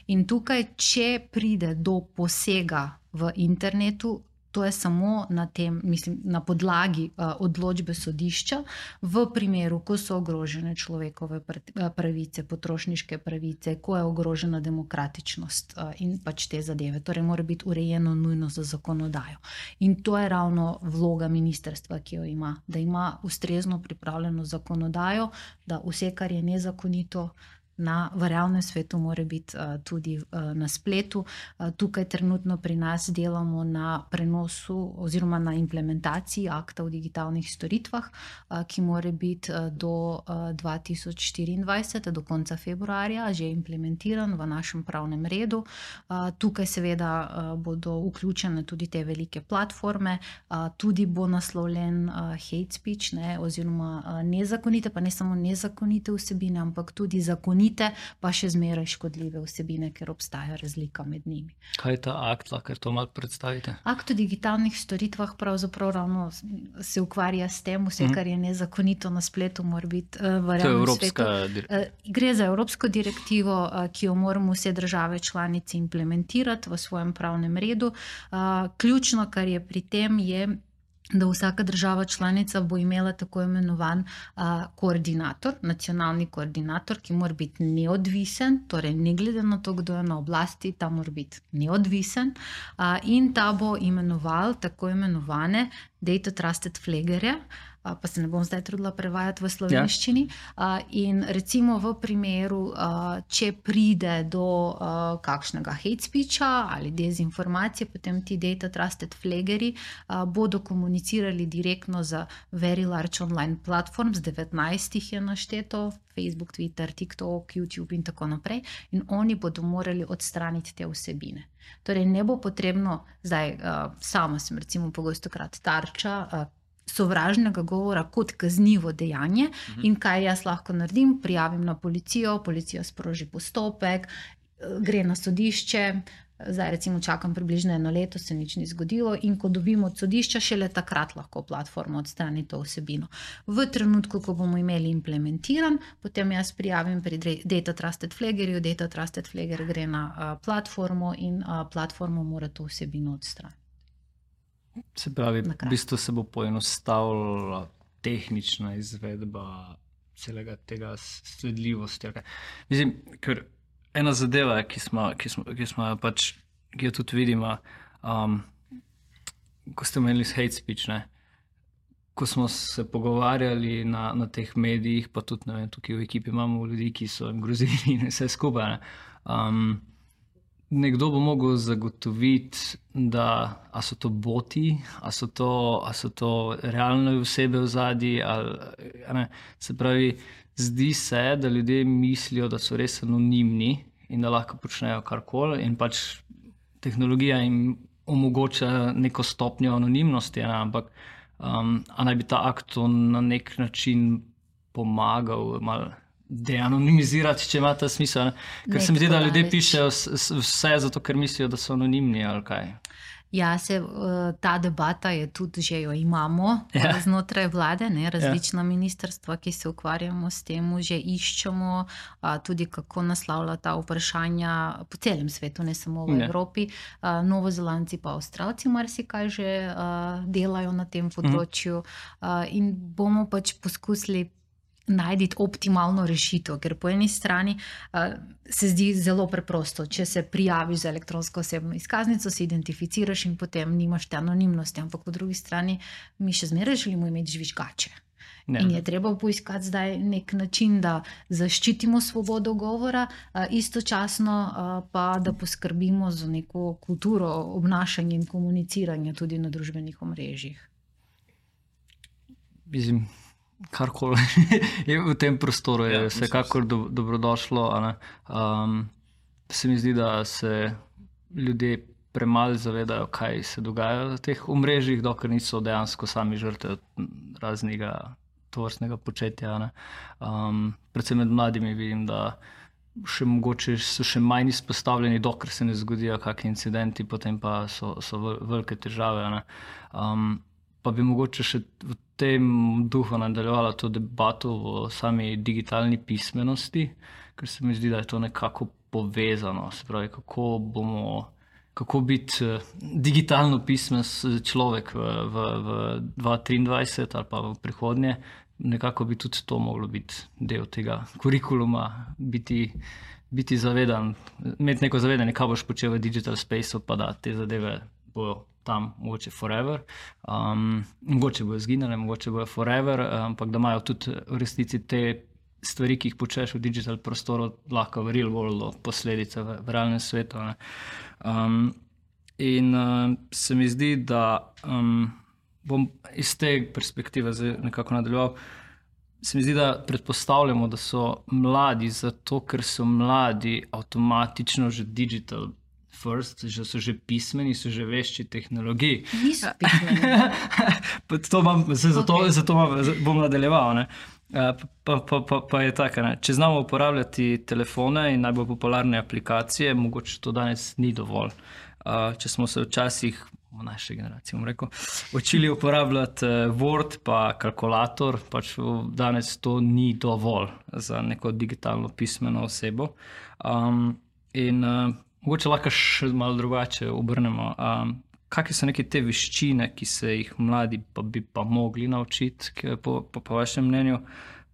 In tukaj, če pride do posega v internetu, to je samo na, tem, mislim, na podlagi uh, odločbe sodišča, v primeru, ko so ogrožene človekove pravice, potrošniške pravice, ko je ogrožena demokratičnost uh, in pač te zadeve. Torej, mora biti urejeno nujno za zakonodajo. In to je ravno vloga ministrstva, ki jo ima, da ima ustrezno pripravljeno zakonodajo, da vse, kar je nezakonito, na, v realnem svetu, mora biti uh, tudi uh, na spletu. Uh, tukaj trenutno pri nas delamo na prenosu oziroma na implementaciji akta o digitalnih storitvah, uh, ki mora biti uh, do uh, dva tisoč štiriindvajset, do konca februarja, že implementiran v našem pravnem redu. Uh, tukaj seveda uh, bodo vključene tudi te velike platforme, uh, tudi bo naslovljen uh, hate speech, ne, oziroma uh, nezakonite, pa ne samo nezakonite vsebine, ampak tudi zakonite, pa še zmeraj škodljive vsebine, ker obstaja razlika med njimi. Kaj je ta akt, lahko to malo predstavite? Akt o digitalnih storitvah pravzaprav ravno se ukvarja s tem, vse, kar je nezakonito na spletu, mora biti uh, v realnem svetu. Uh, gre za evropsko direktivo, uh, ki jo moramo vse države članice implementirati v svojem pravnem redu. Uh, ključno, kar je pri tem, je, da vsaka država članica bo imela tako imenovan uh, koordinator, nacionalni koordinator, ki mora biti neodvisen, torej ne glede na to, kdo je na oblasti, ta mora biti neodvisen, uh, in ta bo imenoval tako imenovane data trusted flaggerje, uh, pa se ne bom zdaj trudila prevajati v slovenščini. Uh, in recimo v primeru, uh, če pride do uh, kakšnega hate speecha ali dezinformacije, potem ti data trusted flaggerji uh, bodo komunicirali direktno za very large online platforms, devetnajst jih je našteto, Facebook, Twitter, TikTok, YouTube in tako naprej, in oni bodo morali odstraniti te vsebine. Torej ne bo potrebno, zdaj uh, sama sem recimo pogostokrat tarča uh, sovražnega govora kot kaznivo dejanje, mhm. in kaj jaz lahko naredim, prijavim na policijo, policija sproži postopek, uh, gre na sodišče, zdaj recimo čakam približno eno leto, se nič ni zgodilo, in ko dobimo od sodišča, šele takrat lahko platforma odstrani to vsebino. V trenutku, ko bomo imeli implementiran, potem jaz prijavim pri data trusted flaggerju, data trusted flagger gre na uh, platformo in uh, platforma mora to vsebino odstraniti. Se pravi, v bistvu se bo poenostavila tehnična izvedba celega tega sledljivosti. Mislim, ker ena zadeva, ki smo, ki smo, ki smo pač, ki jo tudi vidimo, um, ko ste imeli hate speech, ne? Ko smo se pogovarjali na, na teh medijih, pa tudi ne vem, tukaj v ekipi imamo ljudi, ki so jim grozili in vse skupaj. Ne? Um, nekdo bo mogel zagotoviti, da a so to boti, a so to, a so to realne osebe v zadnji, ali ne. Se pravi, zdi se, da ljudje mislijo, da so res anonimni in da lahko počnejo karkoli, in pač tehnologija jim omogoča neko stopnjo anonimnosti, ne? Ampak um, a naj bi ta akt na nek način pomagal malo deanonimizirati, če ima ta smisel. Ne? Ker nek se mi zdi, da ljudje pišejo vse zato, ker mislijo, da so anonimni ali kaj. Ja, se, ta debata je tudi, že jo imamo ja. znotraj vlade, ne, različna ja. ministrstva, ki se ukvarjamo s tem, že iščemo a, tudi kako naslavlja ta vprašanja po celem svetu, ne samo v ja. Evropi. A, Novozelandci pa Avstralci marsikaj že a, delajo na tem področju, a, in bomo pač poskusili najti optimalno rešitev, ker po eni strani uh, se zdi zelo preprosto, če se prijaviš za elektronsko osebno izkaznico, se identificiraš in potem nimaš te anonimnosti, ampak po drugi strani mi še zmeraj želimo imeti žvižgače. Ne. In je treba poiskati zdaj nek način, da zaščitimo svobodo govora, uh, istočasno uh, pa da poskrbimo za neko kulturo obnašanja in komuniciranja tudi na družbenih omrežjih. Mislim, karkoli je v tem prostoru, je ja, vsekakor do, dobrodošlo. Um, se mi zdi, da se ljudje premalo zavedajo, kaj se dogaja v teh omrežjih, dokler niso dejansko sami žrtve raznega tovrstnega početja. Ne? Um, predvsem med mladimi vidim, da še mogoče so še manj izpostavljeni, dokler se ne zgodijo kakšni incidenti, potem pa so, so velike težave. Ne? Um, pa bi mogoče še v tem duhu nadaljevala to debato o sami digitalni pismenosti, ker se mi zdi, da je to nekako povezano. Se pravi, kako bomo, kako biti digitalno pismen človek v, v, v dva tisoč triindvajset ali pa v prihodnje. Nekako bi tudi to moglo biti del tega kurikuluma, biti, biti zavedan, imeti neko zavedanje, kaj boš počel v digital spaceu, pa da te zadeve bojo tam mogoče forever, um, mogoče bojo zginile, mogoče bojo forever, ampak da imajo tudi v resnici te stvari, ki jih počneš v digital prostoru, lahko v real worldu posledice v, v realnem svetu. Ne. Um, in uh, se mi zdi, da um, bom iz te perspektive nekako nadaljeval. Se mi zdi, da predpostavljamo, da so mladi zato, ker so mladi avtomatično že digital first, že so že pismeni, so že vešči tehnologij. Niso pismeni. to mam, zato, Okay. zato mam, bom nadaljeval. Ne. Pa, pa, pa, pa je tako, ne. Če znamo uporabljati telefone in najbolj popularne aplikacije, mogoče to danes ni dovolj. Če smo se včasih, v naši generaciji, bom rekel, učili uporabljati Word pa kalkulator, pač danes to ni dovolj za neko digitalno pismeno osebo. Um, in uh, mogoče lahko še malo drugače obrnemo. Um, Kakšne so neke te veščine, ki se jih mladi pa bi pa mogli naučiti, po, po, po vašem mnenju?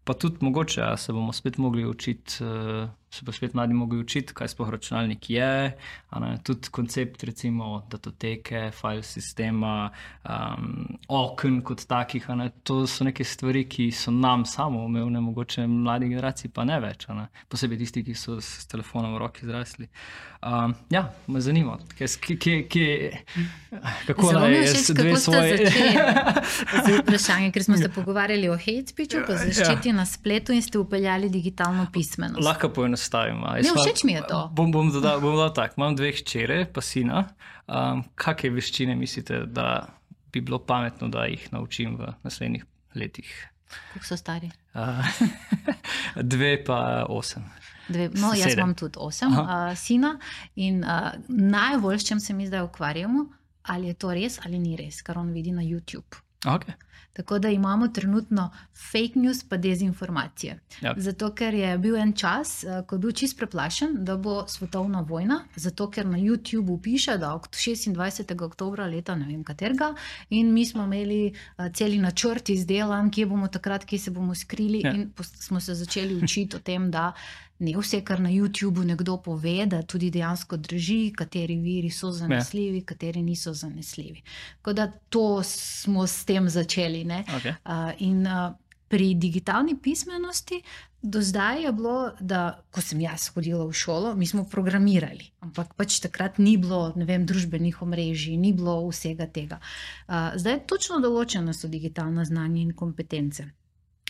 Pa tudi mogoče, a se bomo spet mogli učiti, se pa spet mladi mogli učiti, kaj sploh računalnik je, a ne, tudi koncept recimo datoteke, file sistema, um, okn kot takih, a ne, to so neke stvari, ki so nam samoumevne, mogoče mladi generaciji pa ne več, a ne, posebej tisti, ki so s telefonom v roki zrasli. Um, ja, me zanima, kje, kje, kje, kako naj jaz dve svoje... Z vprašanje, ker smo se pogovarjali o hate speechu, pa zaščiti na spletu in ste upeljali digitalno pismenost. Lahko poenostavim. Ne, všeč mi je to. Bom, bom dodal, bom dodal tak, imam dve hčere, pa sina. Um, kakšne veščine mislite, da bi bilo pametno, da jih naučim v naslednjih letih? Koliko so stari? Uh, dve pa osem. Dve, no, jaz Sedem. imam tudi osem uh, sina in uh, najbolj, s čem se mi zdaj ukvarjamo, ali je to res ali ni res, kar on vidi na YouTube. Okay. Tako da imamo trenutno fake news pa dezinformacije. Ja. Zato, ker je bil en čas, ko je bil čist preplašen, da bo svetovna vojna, zato, ker na YouTubeu piše, da šestindvajsetega oktobra leta ne vem katerega in mi smo imeli celi načrt izdelan, kje bomo takrat, kje se bomo skrili ja. In smo se začeli učiti o tem, da ne vse, kar na YouTubeu nekdo pove, da tudi dejansko drži, kateri viri so zanesljivi, ja. Kateri niso zanesljivi. Tako da to smo s tem začeli. Ne? Okay. Uh, in uh, pri digitalni pismenosti do zdaj je bilo, da ko sem jaz hodila v šolo, mi smo programirali, ampak pač takrat ni bilo, ne vem, družbenih omrežij, ni bilo vsega tega. Uh, zdaj točno določena so digitalna znanja in kompetence.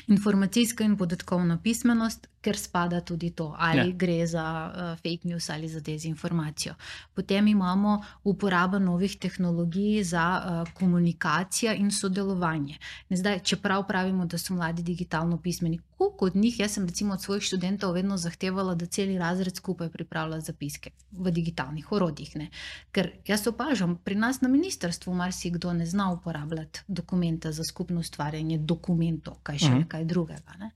Informacijska in podatkovna pismenost, ker spada tudi to, ali ja. Gre za uh, fake news ali za dezinformacijo. Potem imamo uporabo novih tehnologij za uh, komunikacijo in sodelovanje. Ne zdaj, čeprav pravimo, da so mladi digitalno pismeni, koliko od njih, jaz sem recimo od svojih študentov vedno zahtevala, da celi razred skupaj pripravlja zapiske v digitalnih orodjih. Ne? Ker jaz opažam, pri nas na ministrstvu marsikdo ne zna uporabljati dokumenta za skupno ustvarjanje dokumentov, kaj še nekaj drugega. Ne?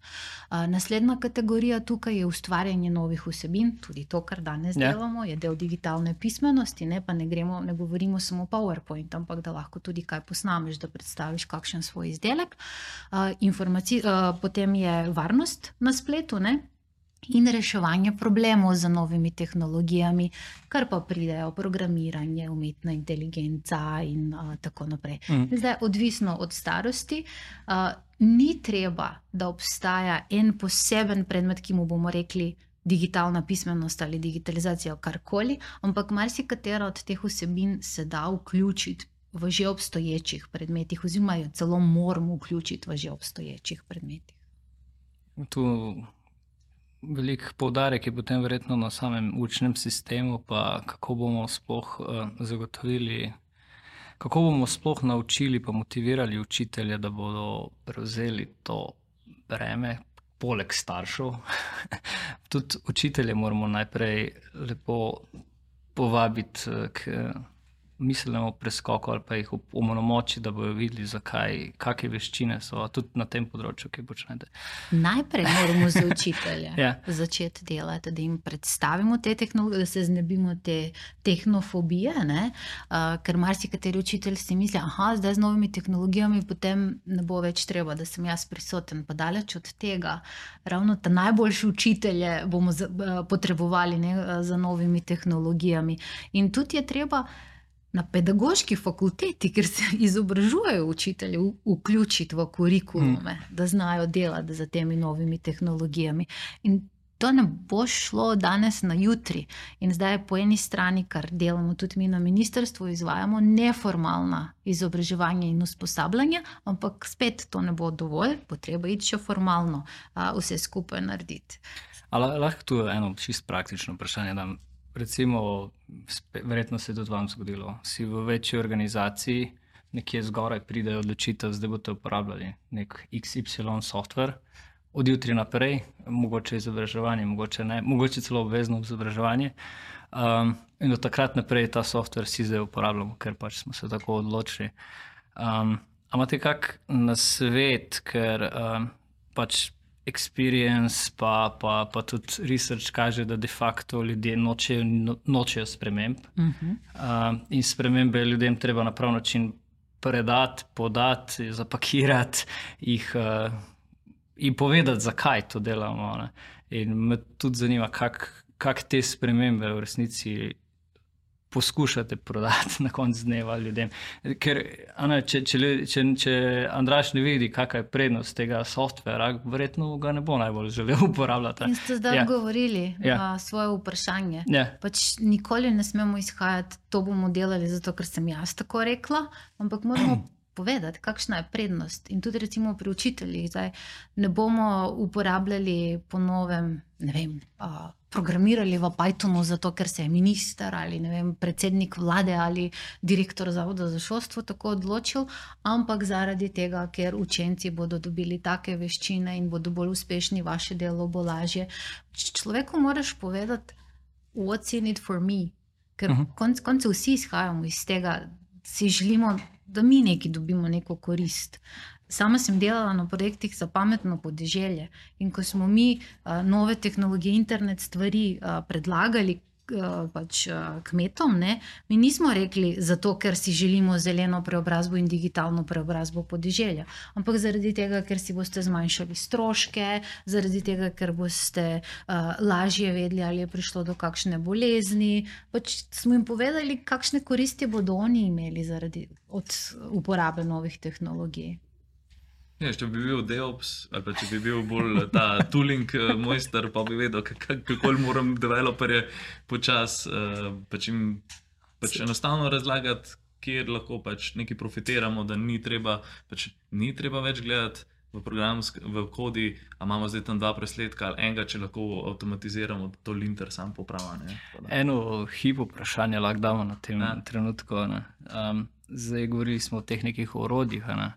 Uh, naslednja kategorija tukaj je ustvarjanje novih vsebin, tudi to, kar danes yeah. delamo, je del digitalne pismenosti, ne, pa ne, gremo, ne govorimo samo PowerPoint, ampak da lahko tudi kaj posnameš, da predstaviš kakšen svoj izdelek. Uh, informaci- uh, potem je varnost na spletu, ne? In reševanje problemov z novimi tehnologijami, kar pa pridejo programiranje, umetna inteligenca in uh, tako naprej. Mm. Zdaj, odvisno od starosti, uh, ni treba, da obstaja en poseben predmet, ki mu bomo rekli digitalna pismenost ali digitalizacija, karkoli, ampak marsikatera od teh vsebin se da vključiti v že obstoječih predmetih, oziroma jo celo moramo vključiti v že obstoječih predmetih. Tu velik poudarek je potem verjetno na samem učnem sistemu, pa kako bomo sploh uh, zagotovili, kako bomo sploh naučili pa motivirali učitelje, da bodo prevzeli to breme, poleg staršev. Tudi učitelje moramo najprej lepo povabiti k miselnemu preskoku ali pa jih opolnomočiti, da bodo videli, zakaj, kakšne veščine so, tudi na tem področju, ki počnete. Najprej moramo za učitelje ja. začeti delati, da jim predstavimo te tehnologije, da se znebimo te tehnofobije, ne? Uh, ker marsikateri učitelj si misli, aha, zdaj z novimi tehnologijami potem ne bo več treba, da sem jaz prisoten, pa daleč od tega. Ravno ta najboljši učitelje bomo za, uh, potrebovali ne, za novimi tehnologijami. In tudi je treba na pedagoški fakulteti, kjer se izobražujejo učitelji, vključiti v kurikulume, mm. da znajo delati za temi novimi tehnologijami. In to ne bo šlo danes na jutri. In zdaj po eni strani, kar delamo tudi mi na ministrstvu, izvajamo neformalna izobraževanja in usposabljanja, ampak spet to ne bo dovolj, bo treba iti še formalno a, vse skupaj narediti. Ali lahko tu eno čisto praktično vprašanje dam? Recimo, verjetno se je tudi vam zgodilo, si v večji organizaciji, nekje zgoraj pridejo odločitev, zdaj boste uporabljali nek X Y software, od jutri naprej, mogoče izobraževanje, mogoče ne, mogoče celo obvezno izobraževanje. Um, in od takrat naprej ta software si zdaj uporabljamo, ker pač smo se tako odločili. Um, a imate kak nasvet, ker um, pač experience pa, pa, pa tudi research kaže, da de facto ljudje nočejo, no, nočejo sprememb. Uh-huh. Uh, in spremembe ljudem treba na prav način predati, podati, zapakirati jih uh, in povedati, zakaj to delamo. Ne? In me tudi zanima, kak, kak te spremembe v resnici poskušate prodati na koncu dneva ljudem. Ker ne, če, če, če, če Andraž ne vidi, kakva je prednost tega softvera, verjetno ga ne bo najbolj želel uporabljati. In ste zdaj ja. odgovorili ja. na svoje vprašanje. Ja. Pač nikoli ne smemo izhajati, to bomo delali zato, ker sem jaz tako rekla, ampak moramo povedati, kakšna je prednost. In tudi recimo pri učiteljih zdaj ne bomo uporabljali po novem, ne vem, a, programirali v Pythonu zato, ker se je minister ali ne vem, predsednik vlade ali direktor zavoda za šolstvo tako odločil, ampak zaradi tega, ker učenci bodo dobili take veščine in bodo bolj uspešni, vaše delo bo lažje. Človeku moraš povedati, what's in it for me? Ker uh-huh. konc koncev vsi izhajamo iz tega, si želimo, da mi neki dobimo neko korist. Sama sem delala na projektih za pametno podeželje in ko smo mi uh, nove tehnologije, internet stvari uh, predlagali uh, pač, uh, kmetom, ne, mi nismo rekli zato, ker si želimo zeleno preobrazbo in digitalno preobrazbo podeželja, ampak zaradi tega, ker si boste zmanjšali stroške, zaradi tega, ker boste uh, lažje vedeli, ali je prišlo do kakšne bolezni. Pač smo jim povedali, kakšne koristi bodo oni imeli zaradi od uporabe novih tehnologij. Ja, če bi bil DevOps, ali pa če bi bil bolj ta tooling mojster, pa bi vedel, kako moram developerje počas uh, pač jim pač enostavno razlagati, kjer lahko pač nekaj profitiramo, da ni treba, pač ni treba več gledati v programu, v kodi, a imamo zdaj tam dva presledka ali enega, če lahko avtomatiziramo, da to linter sam poprava. Ne? Eno hip vprašanje lahko damo na tem ja. trenutku. Ne? Um, zdaj govorili smo o teh nekih orodjih, ne?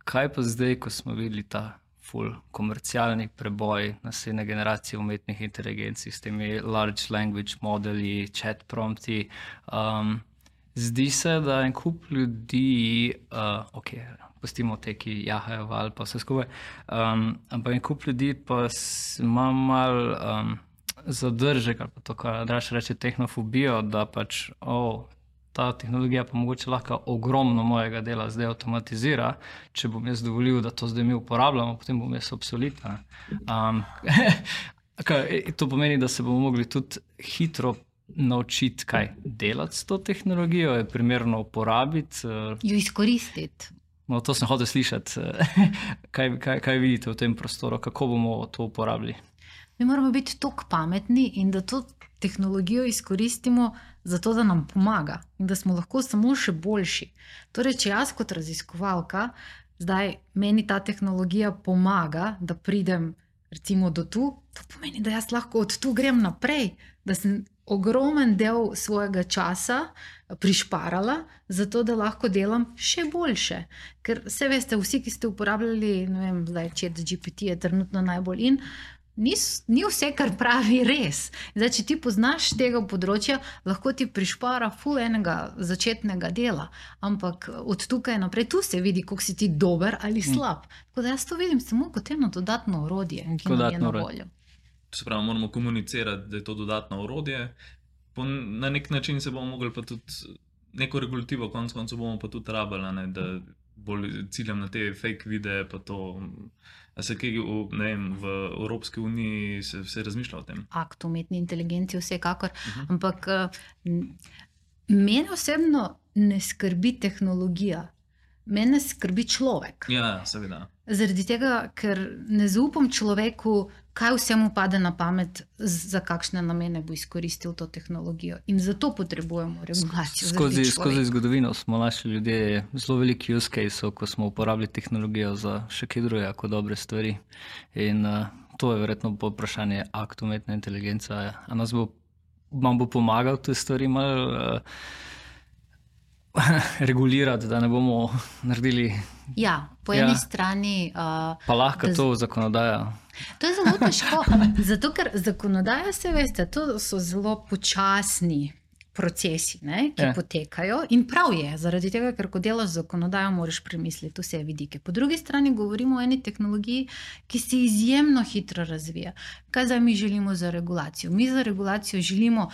Kaj pa zdaj, ko smo videli ta full komercialni preboj naslednje generacije umetnih inteligencij s temi large language modeli, chat prompti, um, zdi se, da en kup ljudi, uh, ok, pustimo te, ki jahajo val pa vse skupaj, um, ampak en kup ljudi pa ima mal um, zadržek, ali pa to, kar Andraž reče, tehnofobijo, da pač, oh, ta tehnologija pa mogoče lahko ogromno mojega dela zdaj avtomatizira, če bom jaz dovolil, da to zdaj mi uporabljamo, potem bom jaz obsoleta. Um, to pomeni, da se bomo mogli tudi hitro naučiti, kaj delati s to tehnologijo, je primerno uporabiti. Jo izkoristiti. No, to sem hotel slišati. kaj, kaj, kaj vidite v tem prostoru, kako bomo to uporabili? Mi moramo biti toliko pametni in da to tehnologijo izkoristimo zato, da nam pomaga in da smo lahko samo še boljši. Torej, če jaz kot raziskovalka, zdaj meni ta tehnologija pomaga, da pridem recimo do tu, to pomeni, da jaz lahko od tu grem naprej, da sem ogromen del svojega časa prišparala, zato da lahko delam še boljše. Ker vse veste, vsi, ki ste uporabljali, ne vem, zdaj ChatGPT je trenutno najbolj in, Ni, ni vse, kar pravi res. Zdaj, če ti poznaš tega področja, lahko ti prišpara ful enega začetnega dela, ampak od tukaj naprej tu se vidi, koliko si ti dober ali slab. Tako da jaz to vidim samo kot eno dodatno orodje, ki nam je na voljo. To se pravi, moramo komunicirati, da je to dodatno orodje. Po, na nek način se bomo mogli pa tudi neko regulativo, konc koncev bomo pa tudi rabili, ne, da bolj ciljam na te fake videe, pa to... A se kaj, ne vem, v Evropski uniji se vse razmišlja o tem? Akt umetni inteligenci vsekakor, uh-huh. ampak Mene osebno ne skrbi tehnologija, mene skrbi človek. Ja, seveda. Zaradi tega, ker ne zaupam človeku, kaj vse mu pade na pamet, za kakšne namene bo izkoristil to tehnologijo. In zato potrebujemo regulacijo. Skozi, skozi zgodovino smo našli ljudje zelo veliki use case, ko smo uporabili tehnologijo za še kaj drugega kot dobre stvari. In uh, to je verjetno vprašanje akt umetne inteligence. A nas bo, nam bo pomagal te stvari malo uh, regulirati, da ne bomo naredili. Ja, po eni ja. strani. Uh, pa lahko to zakonodaja. To je zelo težko, zato ker zakonodaja, se veste, to so zelo počasni procesi, ne, ki ja. potekajo in prav je, zaradi tega, ker ko delaš zakonodajo, moraš premisliti vse vidike. Po drugi strani govorimo o eni tehnologiji, ki se izjemno hitro razvija. Kaj zdaj mi želimo za regulacijo? Mi za regulacijo želimo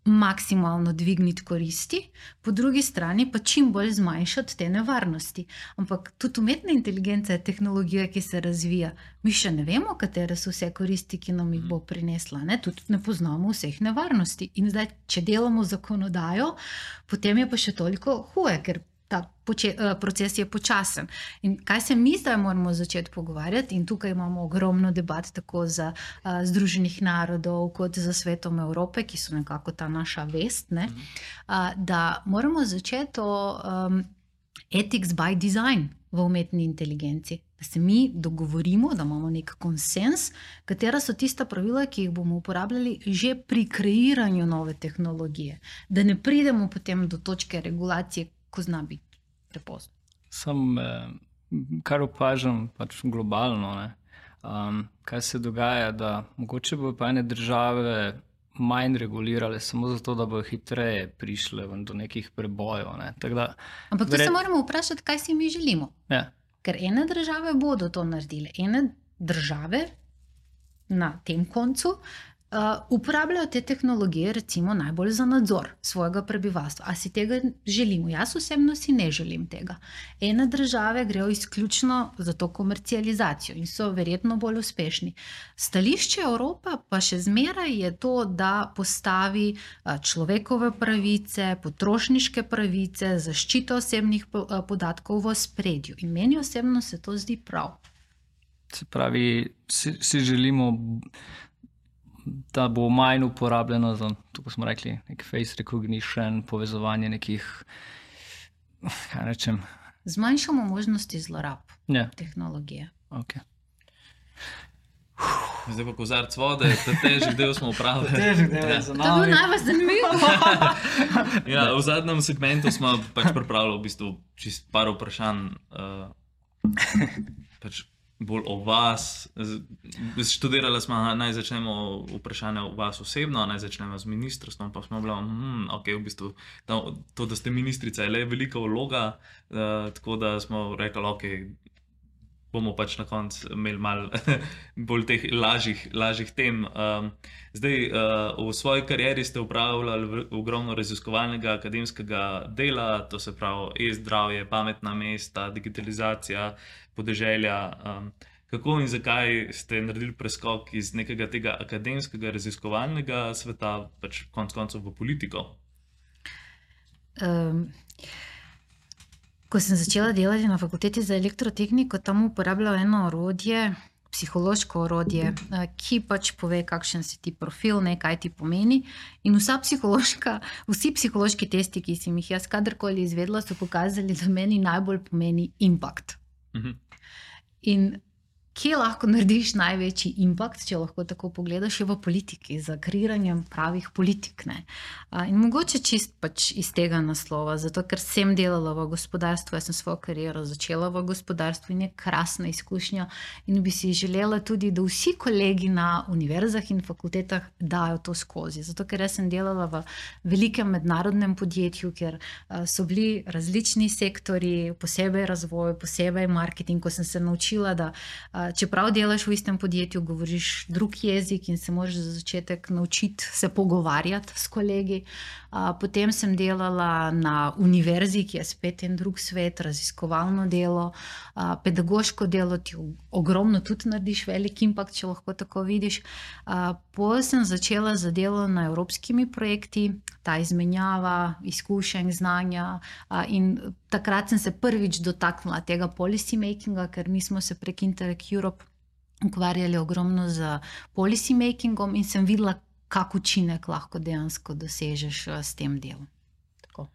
maksimalno dvigniti koristi, po drugi strani pa čim bolj zmanjšati te nevarnosti. Ampak tudi umetna inteligenca je tehnologija, ki se razvija. Mi še ne vemo, katere so vse koristi, ki nam jih bo prinesla. Ne? Tudi ne poznamo vseh nevarnosti. In zdaj, če delamo zakonodajo, potem je pa še toliko huje, ker ta poče, proces je počasen. In kaj se mi zdaj moramo začeti pogovarjati, in tukaj imamo ogromno debat tako za uh, Združenih narodov kot za Svetom Evrope, ki so nekako ta naša vest, ne? Uh, da moramo začeti o um, ethics by design v umetni inteligenci. Da se mi dogovorimo, da imamo nek konsens, katera so tista pravila, ki jih bomo uporabljali že pri kreiranju nove tehnologije. Da ne pridemo potem do točke regulacije, ko zna biti prepozno. Sam, eh, kar opažam pač globalno, ne, um, kaj se dogaja, da mogoče bo pa ene države manj regulirale samo zato, da bo hitreje prišle do nekih prebojev. Ne. Da, Ampak tu vred... se moramo vprašati, kaj si mi želimo. Ja. Ker ene države bodo to naredile. Ene države na tem koncu Uh, uporabljajo te tehnologije recimo najbolj za nadzor svojega prebivalstva. A si tega želimo? Jaz osebno si ne želim tega. Ene države grejo izključno za to komercializacijo in so verjetno bolj uspešni. Stališče Evropa pa še zmeraj je to, da postavi uh, človekove pravice, potrošniške pravice, zaščito osebnih po, uh, podatkov v ospredju. In meni osebno se to zdi prav. Se pravi, si, si želimo, da bo manj uporabljeno za, tako smo rekli, nek face recognition, povezovanje nekih, kaj rečem. Zmanjšamo možnosti zlorab ja. tehnologije. Okay. Zdaj pa kozarc vode, ta težek del smo upravili. Težek del je za nami. To je bilo najbolj zanimivo. Ja, v zadnjem segmentu smo pač pripravili v bistvu čist par vprašanj, uh, pač bolj o vas. Študirali smo, naj začnemo vprašanje o vas osebno, naj začnemo z ministrstvom, pa smo bili, hm, ok, v bistvu to, da ste ministrica, je le velika vloga, uh, tako da smo rekli, ok, bomo pač na koncu imeli malo bolj teh lažjih, lažjih tem. Um, zdaj, uh, v svoji karieri ste upravljali ogromno raziskovalnega akademskega dela, to se pravi e-zdravje, pametna mesta, digitalizacija podeželja. Um, kako in zakaj ste naredili preskok iz nekega tega akademskega raziskovalnega sveta, pač konc koncev v politiko? Um. Ko sem začela delati na fakulteti za elektrotehniko, tam uporabljala eno orodje, psihološko orodje, ki pač pove, kakšen si ti profil, ne, kaj ti pomeni. In vsa psihološka, vsi psihološki testi, ki sem jih jaz kadarkoli izvedla, so pokazali, da meni najbolj pomeni impact. Mhm. In kje lahko narediš največji impact, če lahko tako pogledaš, je v politiki, za kreiranjem pravih politik. Ne? In mogoče čist pač iz tega naslova, zato ker sem delala v gospodarstvu, jaz sem svojo kariero začela v gospodarstvu in je krasna izkušnja in bi si želela tudi, da vsi kolegi na univerzah in fakultetah dajo to skozi. Zato ker jaz sem delala v velikem mednarodnem podjetju, kjer so bili različni sektori, posebej razvoj, posebej marketing, ko sem se naučila, da čeprav delaš v istem podjetju, govoriš drug jezik in se moraš za začetek naučiti se pogovarjati s kolegi. Potem sem delala na univerzi, ki je spet en drug svet, raziskovalno delo, pedagoško delo, ti ogromno tudi narediš, velik impact, če lahko tako vidiš. Potem sem začela za delo na evropskimi projekti, ta izmenjava izkušenj, znanja, in takrat sem se prvič dotaknila tega policy makinga, ker mi smo se prek Interact Europe ukvarjali ogromno z policy makingom in sem videla, kak učinek lahko dejansko dosežeš s tem delom. Tako.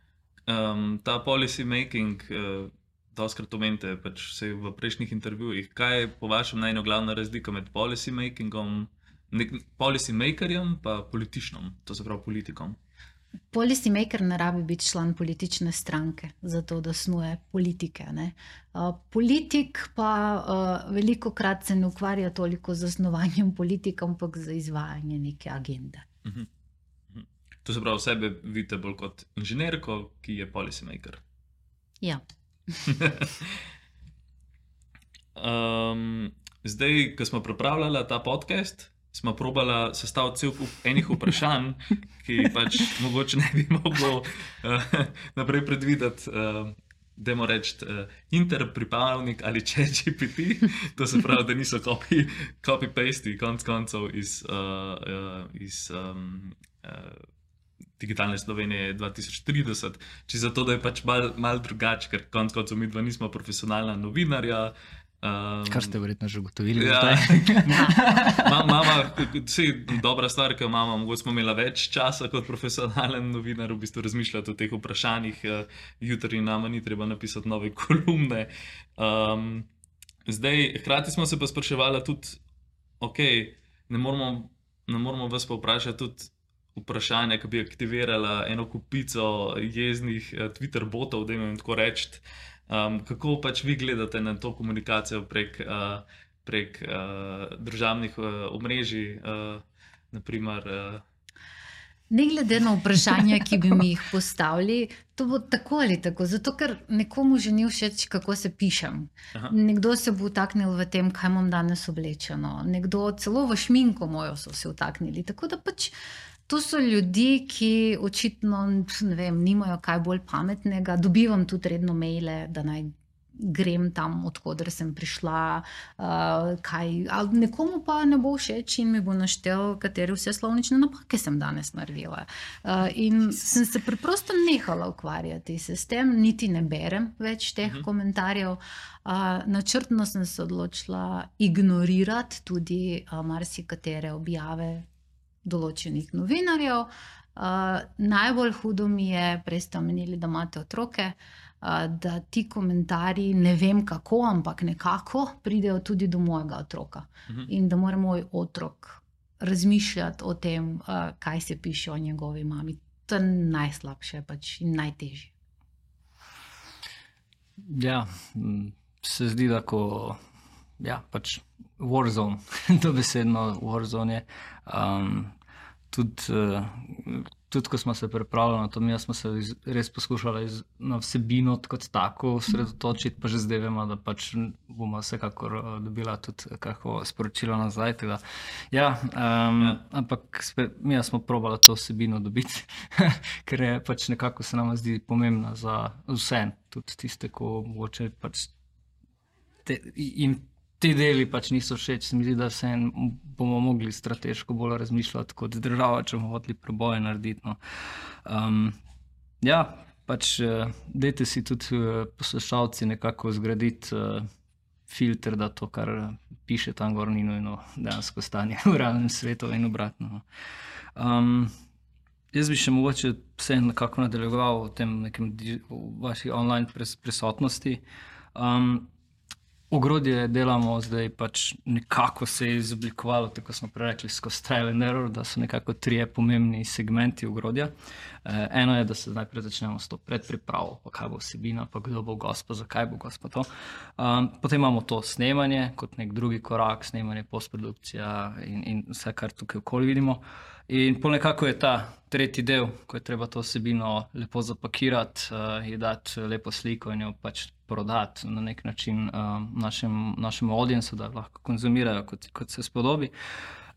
Um, ta policy making, uh, doskrat omenite pač vse v prejšnjih intervjujih, kaj je po vašem najno glavna razlika med policy makingom, nek, policy makerjem pa političnom, to se pravi politikom? Policy maker ne rabi biti član politične stranke, zato da snuje politike. Ne? Uh, politik pa uh, veliko krat se ne ukvarja toliko z zasnovanjem politik, ampak za izvajanje neke agende. Uh-huh. Uh-huh. To se pravi, sebe vidite bolj kot inženirko, ki je policy maker. Ja. um, zdaj, ko smo pripravljali ta podcast, smo probala sestaviti cel kup enih vprašanj, ki pač mogoče ne bi mogel uh, naprej predvideti, uh, dajmo reči, uh, interpripravnik ali ChatGPT, to se pravi, da niso copy, copy-paste konc koncev iz, uh, uh, iz um, uh, Digitalne Slovenije dva tisoč trideset, či zato, da je pač mal, mal drugače, ker konc koncev mi dva nismo profesionalna novinarja. Um, Kar ste verjetno že ugotovili. Ja, mama, vse dobra stvar, ki jo imamo, mogoče smo imela več časa kot profesionalen novinar, v bistvu razmišljati o teh vprašanjih, jutri nama ni treba napisati nove kolumne. Um, zdaj, hkrati smo se pa spraševali tudi, ok, ne moramo, ne moramo vas pa vprašati tudi vprašanja, ki bi aktivirala eno kupico jeznih Twitter botov, da jim tako reči. Um, kako pač vi gledate na to komunikacijo prek, uh, prek uh, državnih uh, omrežij, uh, naprimer? Uh... Ne glede na vprašanja, ki bi mi jih postavili, to bo tako ali tako, zato ker nekomu že ni všeč, kako se pišem. Aha. Nekdo se bo vtaknil v tem, kaj imam danes oblečeno, nekdo celo v šminko mojo so se vtaknili, tako da pač to so ljudi, ki očitno, ne vem, nimajo kaj bolj pametnega. Dobivam tudi redno maile, da naj grem tam, odkoder sem prišla, uh, kaj, ali nekomu pa ne bo všeč in mi bo naštel, katere vse slovnične napake sem danes naredila. Uh, in sem se preprosto nehala ukvarjati se s tem, niti ne berem več teh uh-huh. komentarjev. Uh, načrtno sem se odločila ignorirati tudi uh, marsikatere objave določenih novinarjev. Uh, najbolj hudo mi je, prej ste omenili, da imate otroke, uh, da ti komentarji, ne vem kako, ampak nekako pridejo tudi do mojega otroka. Uh-huh. In da mora moj otrok razmišljati o tem, uh, kaj se piše o njegovi mami. To je najslabše pač in najtežje. Ja, se zdi, da ko ja, pač Warzone, dobesedno Warzone je. Um, tudi, uh, tudi, ko smo se pripravljali na to, mi smo se iz, res poskušali iz, na vsebino kot tako sredotočiti, pa že zdaj vemo, da pač bomo vsekakor uh, dobila tudi kako sporočilo nazaj. Teda, ja, um, ja. Ampak spet, mi smo probali to vsebino dobiti, ker je pač nekako se nam zdi pomembna za vse, tudi tiste, ko mogoče pač te, in ti deli pač niso všeč, se mi zdi, da vse bomo mogli strateško bolj razmišljati kot država, če bomo hoteli preboje narediti. No. Um, ja, pač dajte si tudi poslušalci nekako zgraditi uh, filter, da to, kar piše tam gor, ni nujno dejansko stanje v realnem svetu in obratno. Um, jaz bi še mogoče vse nekako nadaljeval o tem nekem v vaši online pres- prisotnosti. Um, Ogrodje delamo zdaj pač nekako se je izoblikovalo, tako smo prerekli, skozi trial and error, da so nekako trije pomembni segmenti ogrodja. Eh, eno je, da se najprej začnemo s to predpripravo, pa kaj bo vsebina, pa kdo bo gost, pa zakaj bo gost, pa to. Um, potem imamo to snemanje kot nek drugi korak, snemanje, postprodukcija in, in vse, kar tukaj okoli vidimo. In pol nekako je ta tretji del, ko je treba to vsebino lepo zapakirati, uh, ji dati lepo sliko in jo pač prodati na nek način uh, našem, našemu audiencu, da lahko konzumirajo, kot, kot se spodobi.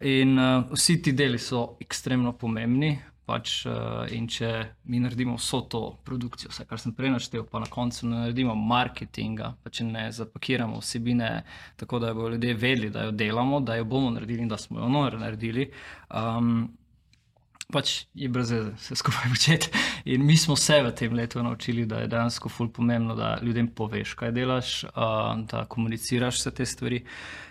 In uh, vsi ti deli so ekstremno pomembni. Pač, uh, in če mi naredimo vso to produkcijo, vse, kar sem prej naštel, pa na koncu ne naredimo marketinga, pa če ne zapakiramo vsebine tako, da bodo ljudje vedeli, da jo delamo, da jo bomo naredili in da smo jo naredili, um, pač je brez veze vse skupaj početi. In mi smo se v tem letu naučili, da je dejansko ful pomembno, da ljudem poveš, kaj delaš, uh, da komuniciraš vse te stvari.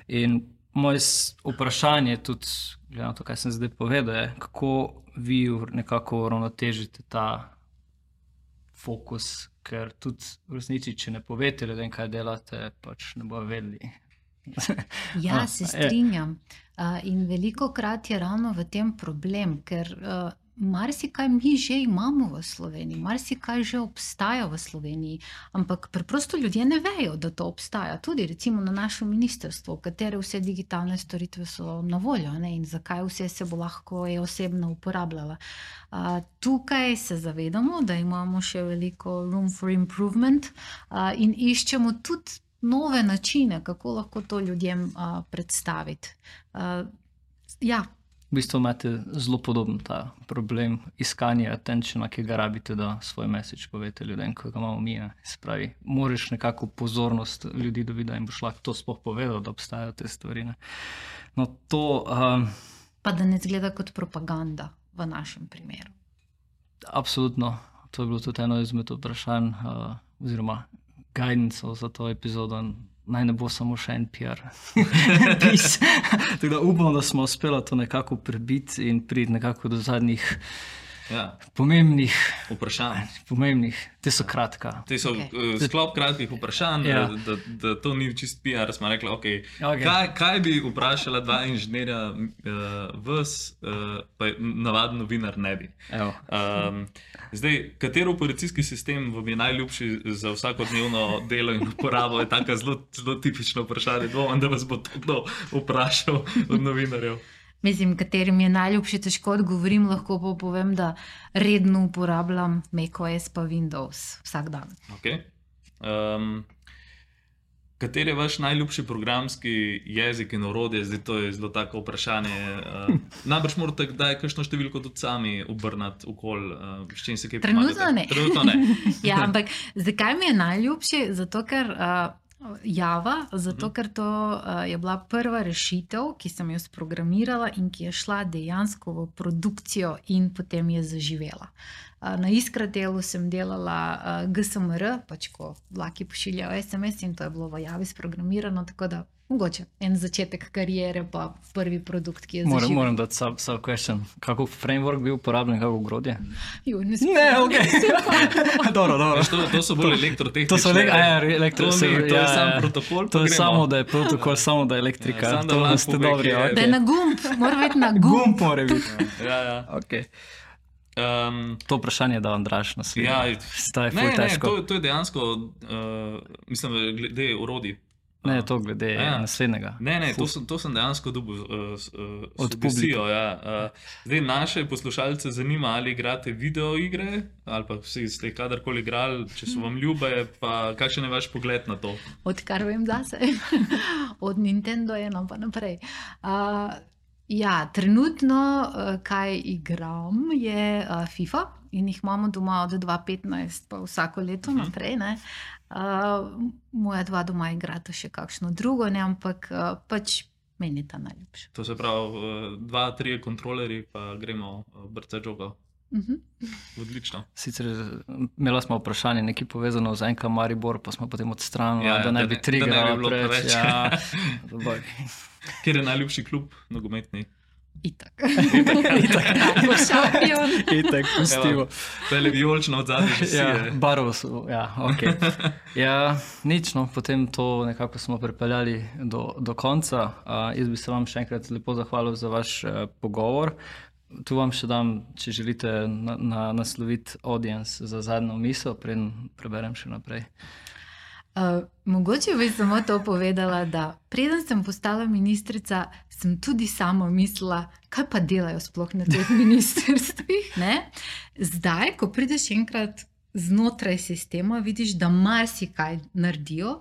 In moje vprašanje tudi, glede na to, kaj sem zdaj povedal, je, kako vi nekako uravnotežite ta fokus, ker tudi v resnici, če ne povete ljudem, kaj delate, pač ne bojo vedeli. Ja, se strinjam. Uh, in veliko krat je ravno v tem problem, ker uh, marsikaj mi že imamo v Sloveniji, marsikaj že obstaja v Sloveniji, ampak preprosto ljudje ne vejo, da to obstaja. Tudi recimo na našem ministrstvu, katere vse digitalne storitve so na voljo, ne? In zakaj vse se bo lahko e-osebno uporabljala. Uh, tukaj se zavedamo, da imamo še veliko room for improvement uh, in iščemo tudi nove načine, kako lahko to ljudem uh, predstaviti. Uh, ja. V bistvu imate zelo podoben ta problem iskanja attentiona, ki ga rabite, da svoj message povete ljudem, ko ga imamo mi. Se pravi, moraš nekako pozornost ljudi dobiti, da jim boš lahko to sploh povedal, da obstajajo te stvari. Ne? No, to, um, pa da ne zgleda kot propaganda v našem primeru. Absolutno. To je bilo tudi eno izmed vprašanj uh, oziroma guidance za to epizodo. Naj ne bo samo še en P R pis. Tako da upam, da smo uspeli to nekako prebiti in priti nekako do zadnjih ja. pomembnih vprašanj. Pomembnih. Te so kratka. Te so okay. uh, sklop kratkih vprašanj, ja. da, da, da to ni čist P R. Smo rekli, okay, okay. Kaj, kaj bi vprašala dva inženirja uh, vas, uh, pa navaden novinar ne bi. Um, zdaj, katero operacijski sistem vam je najljubši za vsakodnevno delo in uporabo? Je taka zelo, zelo tipično vprašanje. Dvomim, da vas bo to kdo vprašal od novinarjev. Mislim, katerim je najljubši, težko odgovorim, lahko pa povem, da redno uporabljam macOS pa Windows vsak dan. Okay. Um, kater je vaš najljubši programski jezik in orodje? Zdaj to je zelo tako vprašanje. Uh, najbrž morate kdaj kakšno številko tudi sami obrnati okoli, uh, s čim se kaj pomagate? Trenutno ne. Trenutno ne. Ja, ampak zakaj mi je najljubši? Zato, ker uh, Java, zato ker to uh, je bila prva rešitev, ki sem jo sprogramirala in ki je šla dejansko v produkcijo in potem je zaživela. Uh, na Iskratelu sem delala uh, G S M R, pač ko vlaki pošiljajo S M S in to je bilo v Javi sprogramirano, tako da mogoče en začetek karijere pa prvi produkt, ki je moram, zaživel. Moram dati sub, sub question. Kako framework bil uporabljen, kako ogrodje? Jo, ne Ne, ok. dobro, dobro. To, to so bolj elektrotehnične. To so le, a, elektro, to, se, ni, to ja, je sam protokol. To je gremo. Samo, da je protokol, samo da je elektrika. Ja, to da ste dobri. Je, Okay. Da je na gumb, mora biti na gumb. Gumb mora biti. Ja, ja. Okay. Um, to vprašanje da Andraž naslednje. Ja, Staj, ne, ne, težko. to, to je dejansko, uh, mislim, glede orodij. Ne, to glede ja. naslednjega. Ne, ne, to sem, to sem dejansko dobil uh, uh, od publike. Ja. Uh, zdaj naše poslušalce zanima, ali igrate video igre, ali pa vsi ste kadarkoli igrali, če so vam ljube, pa kakšen je vaš pogled na to? Odkar vem zase. Od Nintendo eno pa naprej. Uh, ja, trenutno, uh, kaj igram, je uh, FIFA in jih imamo doma od dva petnajst pa vsako leto uh -huh. naprej, ne. Uh, moja dva doma igrata še kakšno drugo, ne, ampak uh, pač meni je ta najljubša. To se pravi, uh, dva, trije kontrolerji, pa gremo uh, brca džoga. Uh-huh. Odlično. Sicer imela smo vprašanje, nekaj povezano z N K Maribor, pa smo potem odstranili, ja, da ne bi trigrala preveč. Ja. Kjer je najljubši klub nogometni? Itak. Itak. Šampion. Itak, pustimo. To je le vijolično od zadnje že si. Ja, barvo so, ja, ok. Ja, nič, no, potem to nekako smo pripeljali do, do konca. Uh, jaz bi se vam še enkrat lepo zahvalil za vaš uh, pogovor. Tu vam še dam, če želite na, na, nasloviti audience za zadnjo misel, preden preberem še naprej. Uh, mogoče bi samo to povedala, da preden sem postala ministrica, sem tudi sama mislila, kaj pa delajo sploh na teh ministrstvih. Ne? Zdaj, ko prideš enkrat znotraj sistema, vidiš, da marsikaj naredijo,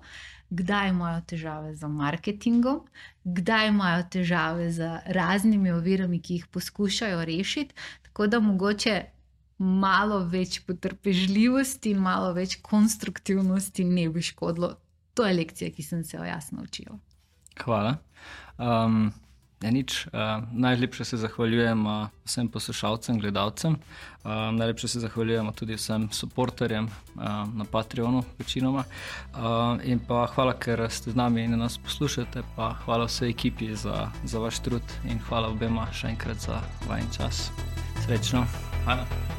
kdaj imajo težave z marketingom, kdaj imajo težave z raznimi ovirami, ki jih poskušajo rešiti, tako da mogoče malo več potrpežljivosti in malo več konstruktivnosti ne bi škodilo. To je lekcija, ki sem se jo jaz naučila. Hvala. Um, ja, nič, uh, najlepše se zahvaljujem uh, vsem poslušalcem, gledalcem. Uh, najlepše se zahvaljujemo tudi vsem suporterjem uh, na Patreonu, večinoma. Uh, in pa hvala, ker ste z nami in nas poslušate. Pa hvala vsej ekipi za, za vaš trud in hvala obema še enkrat za vajen čas. Srečno. Hvala.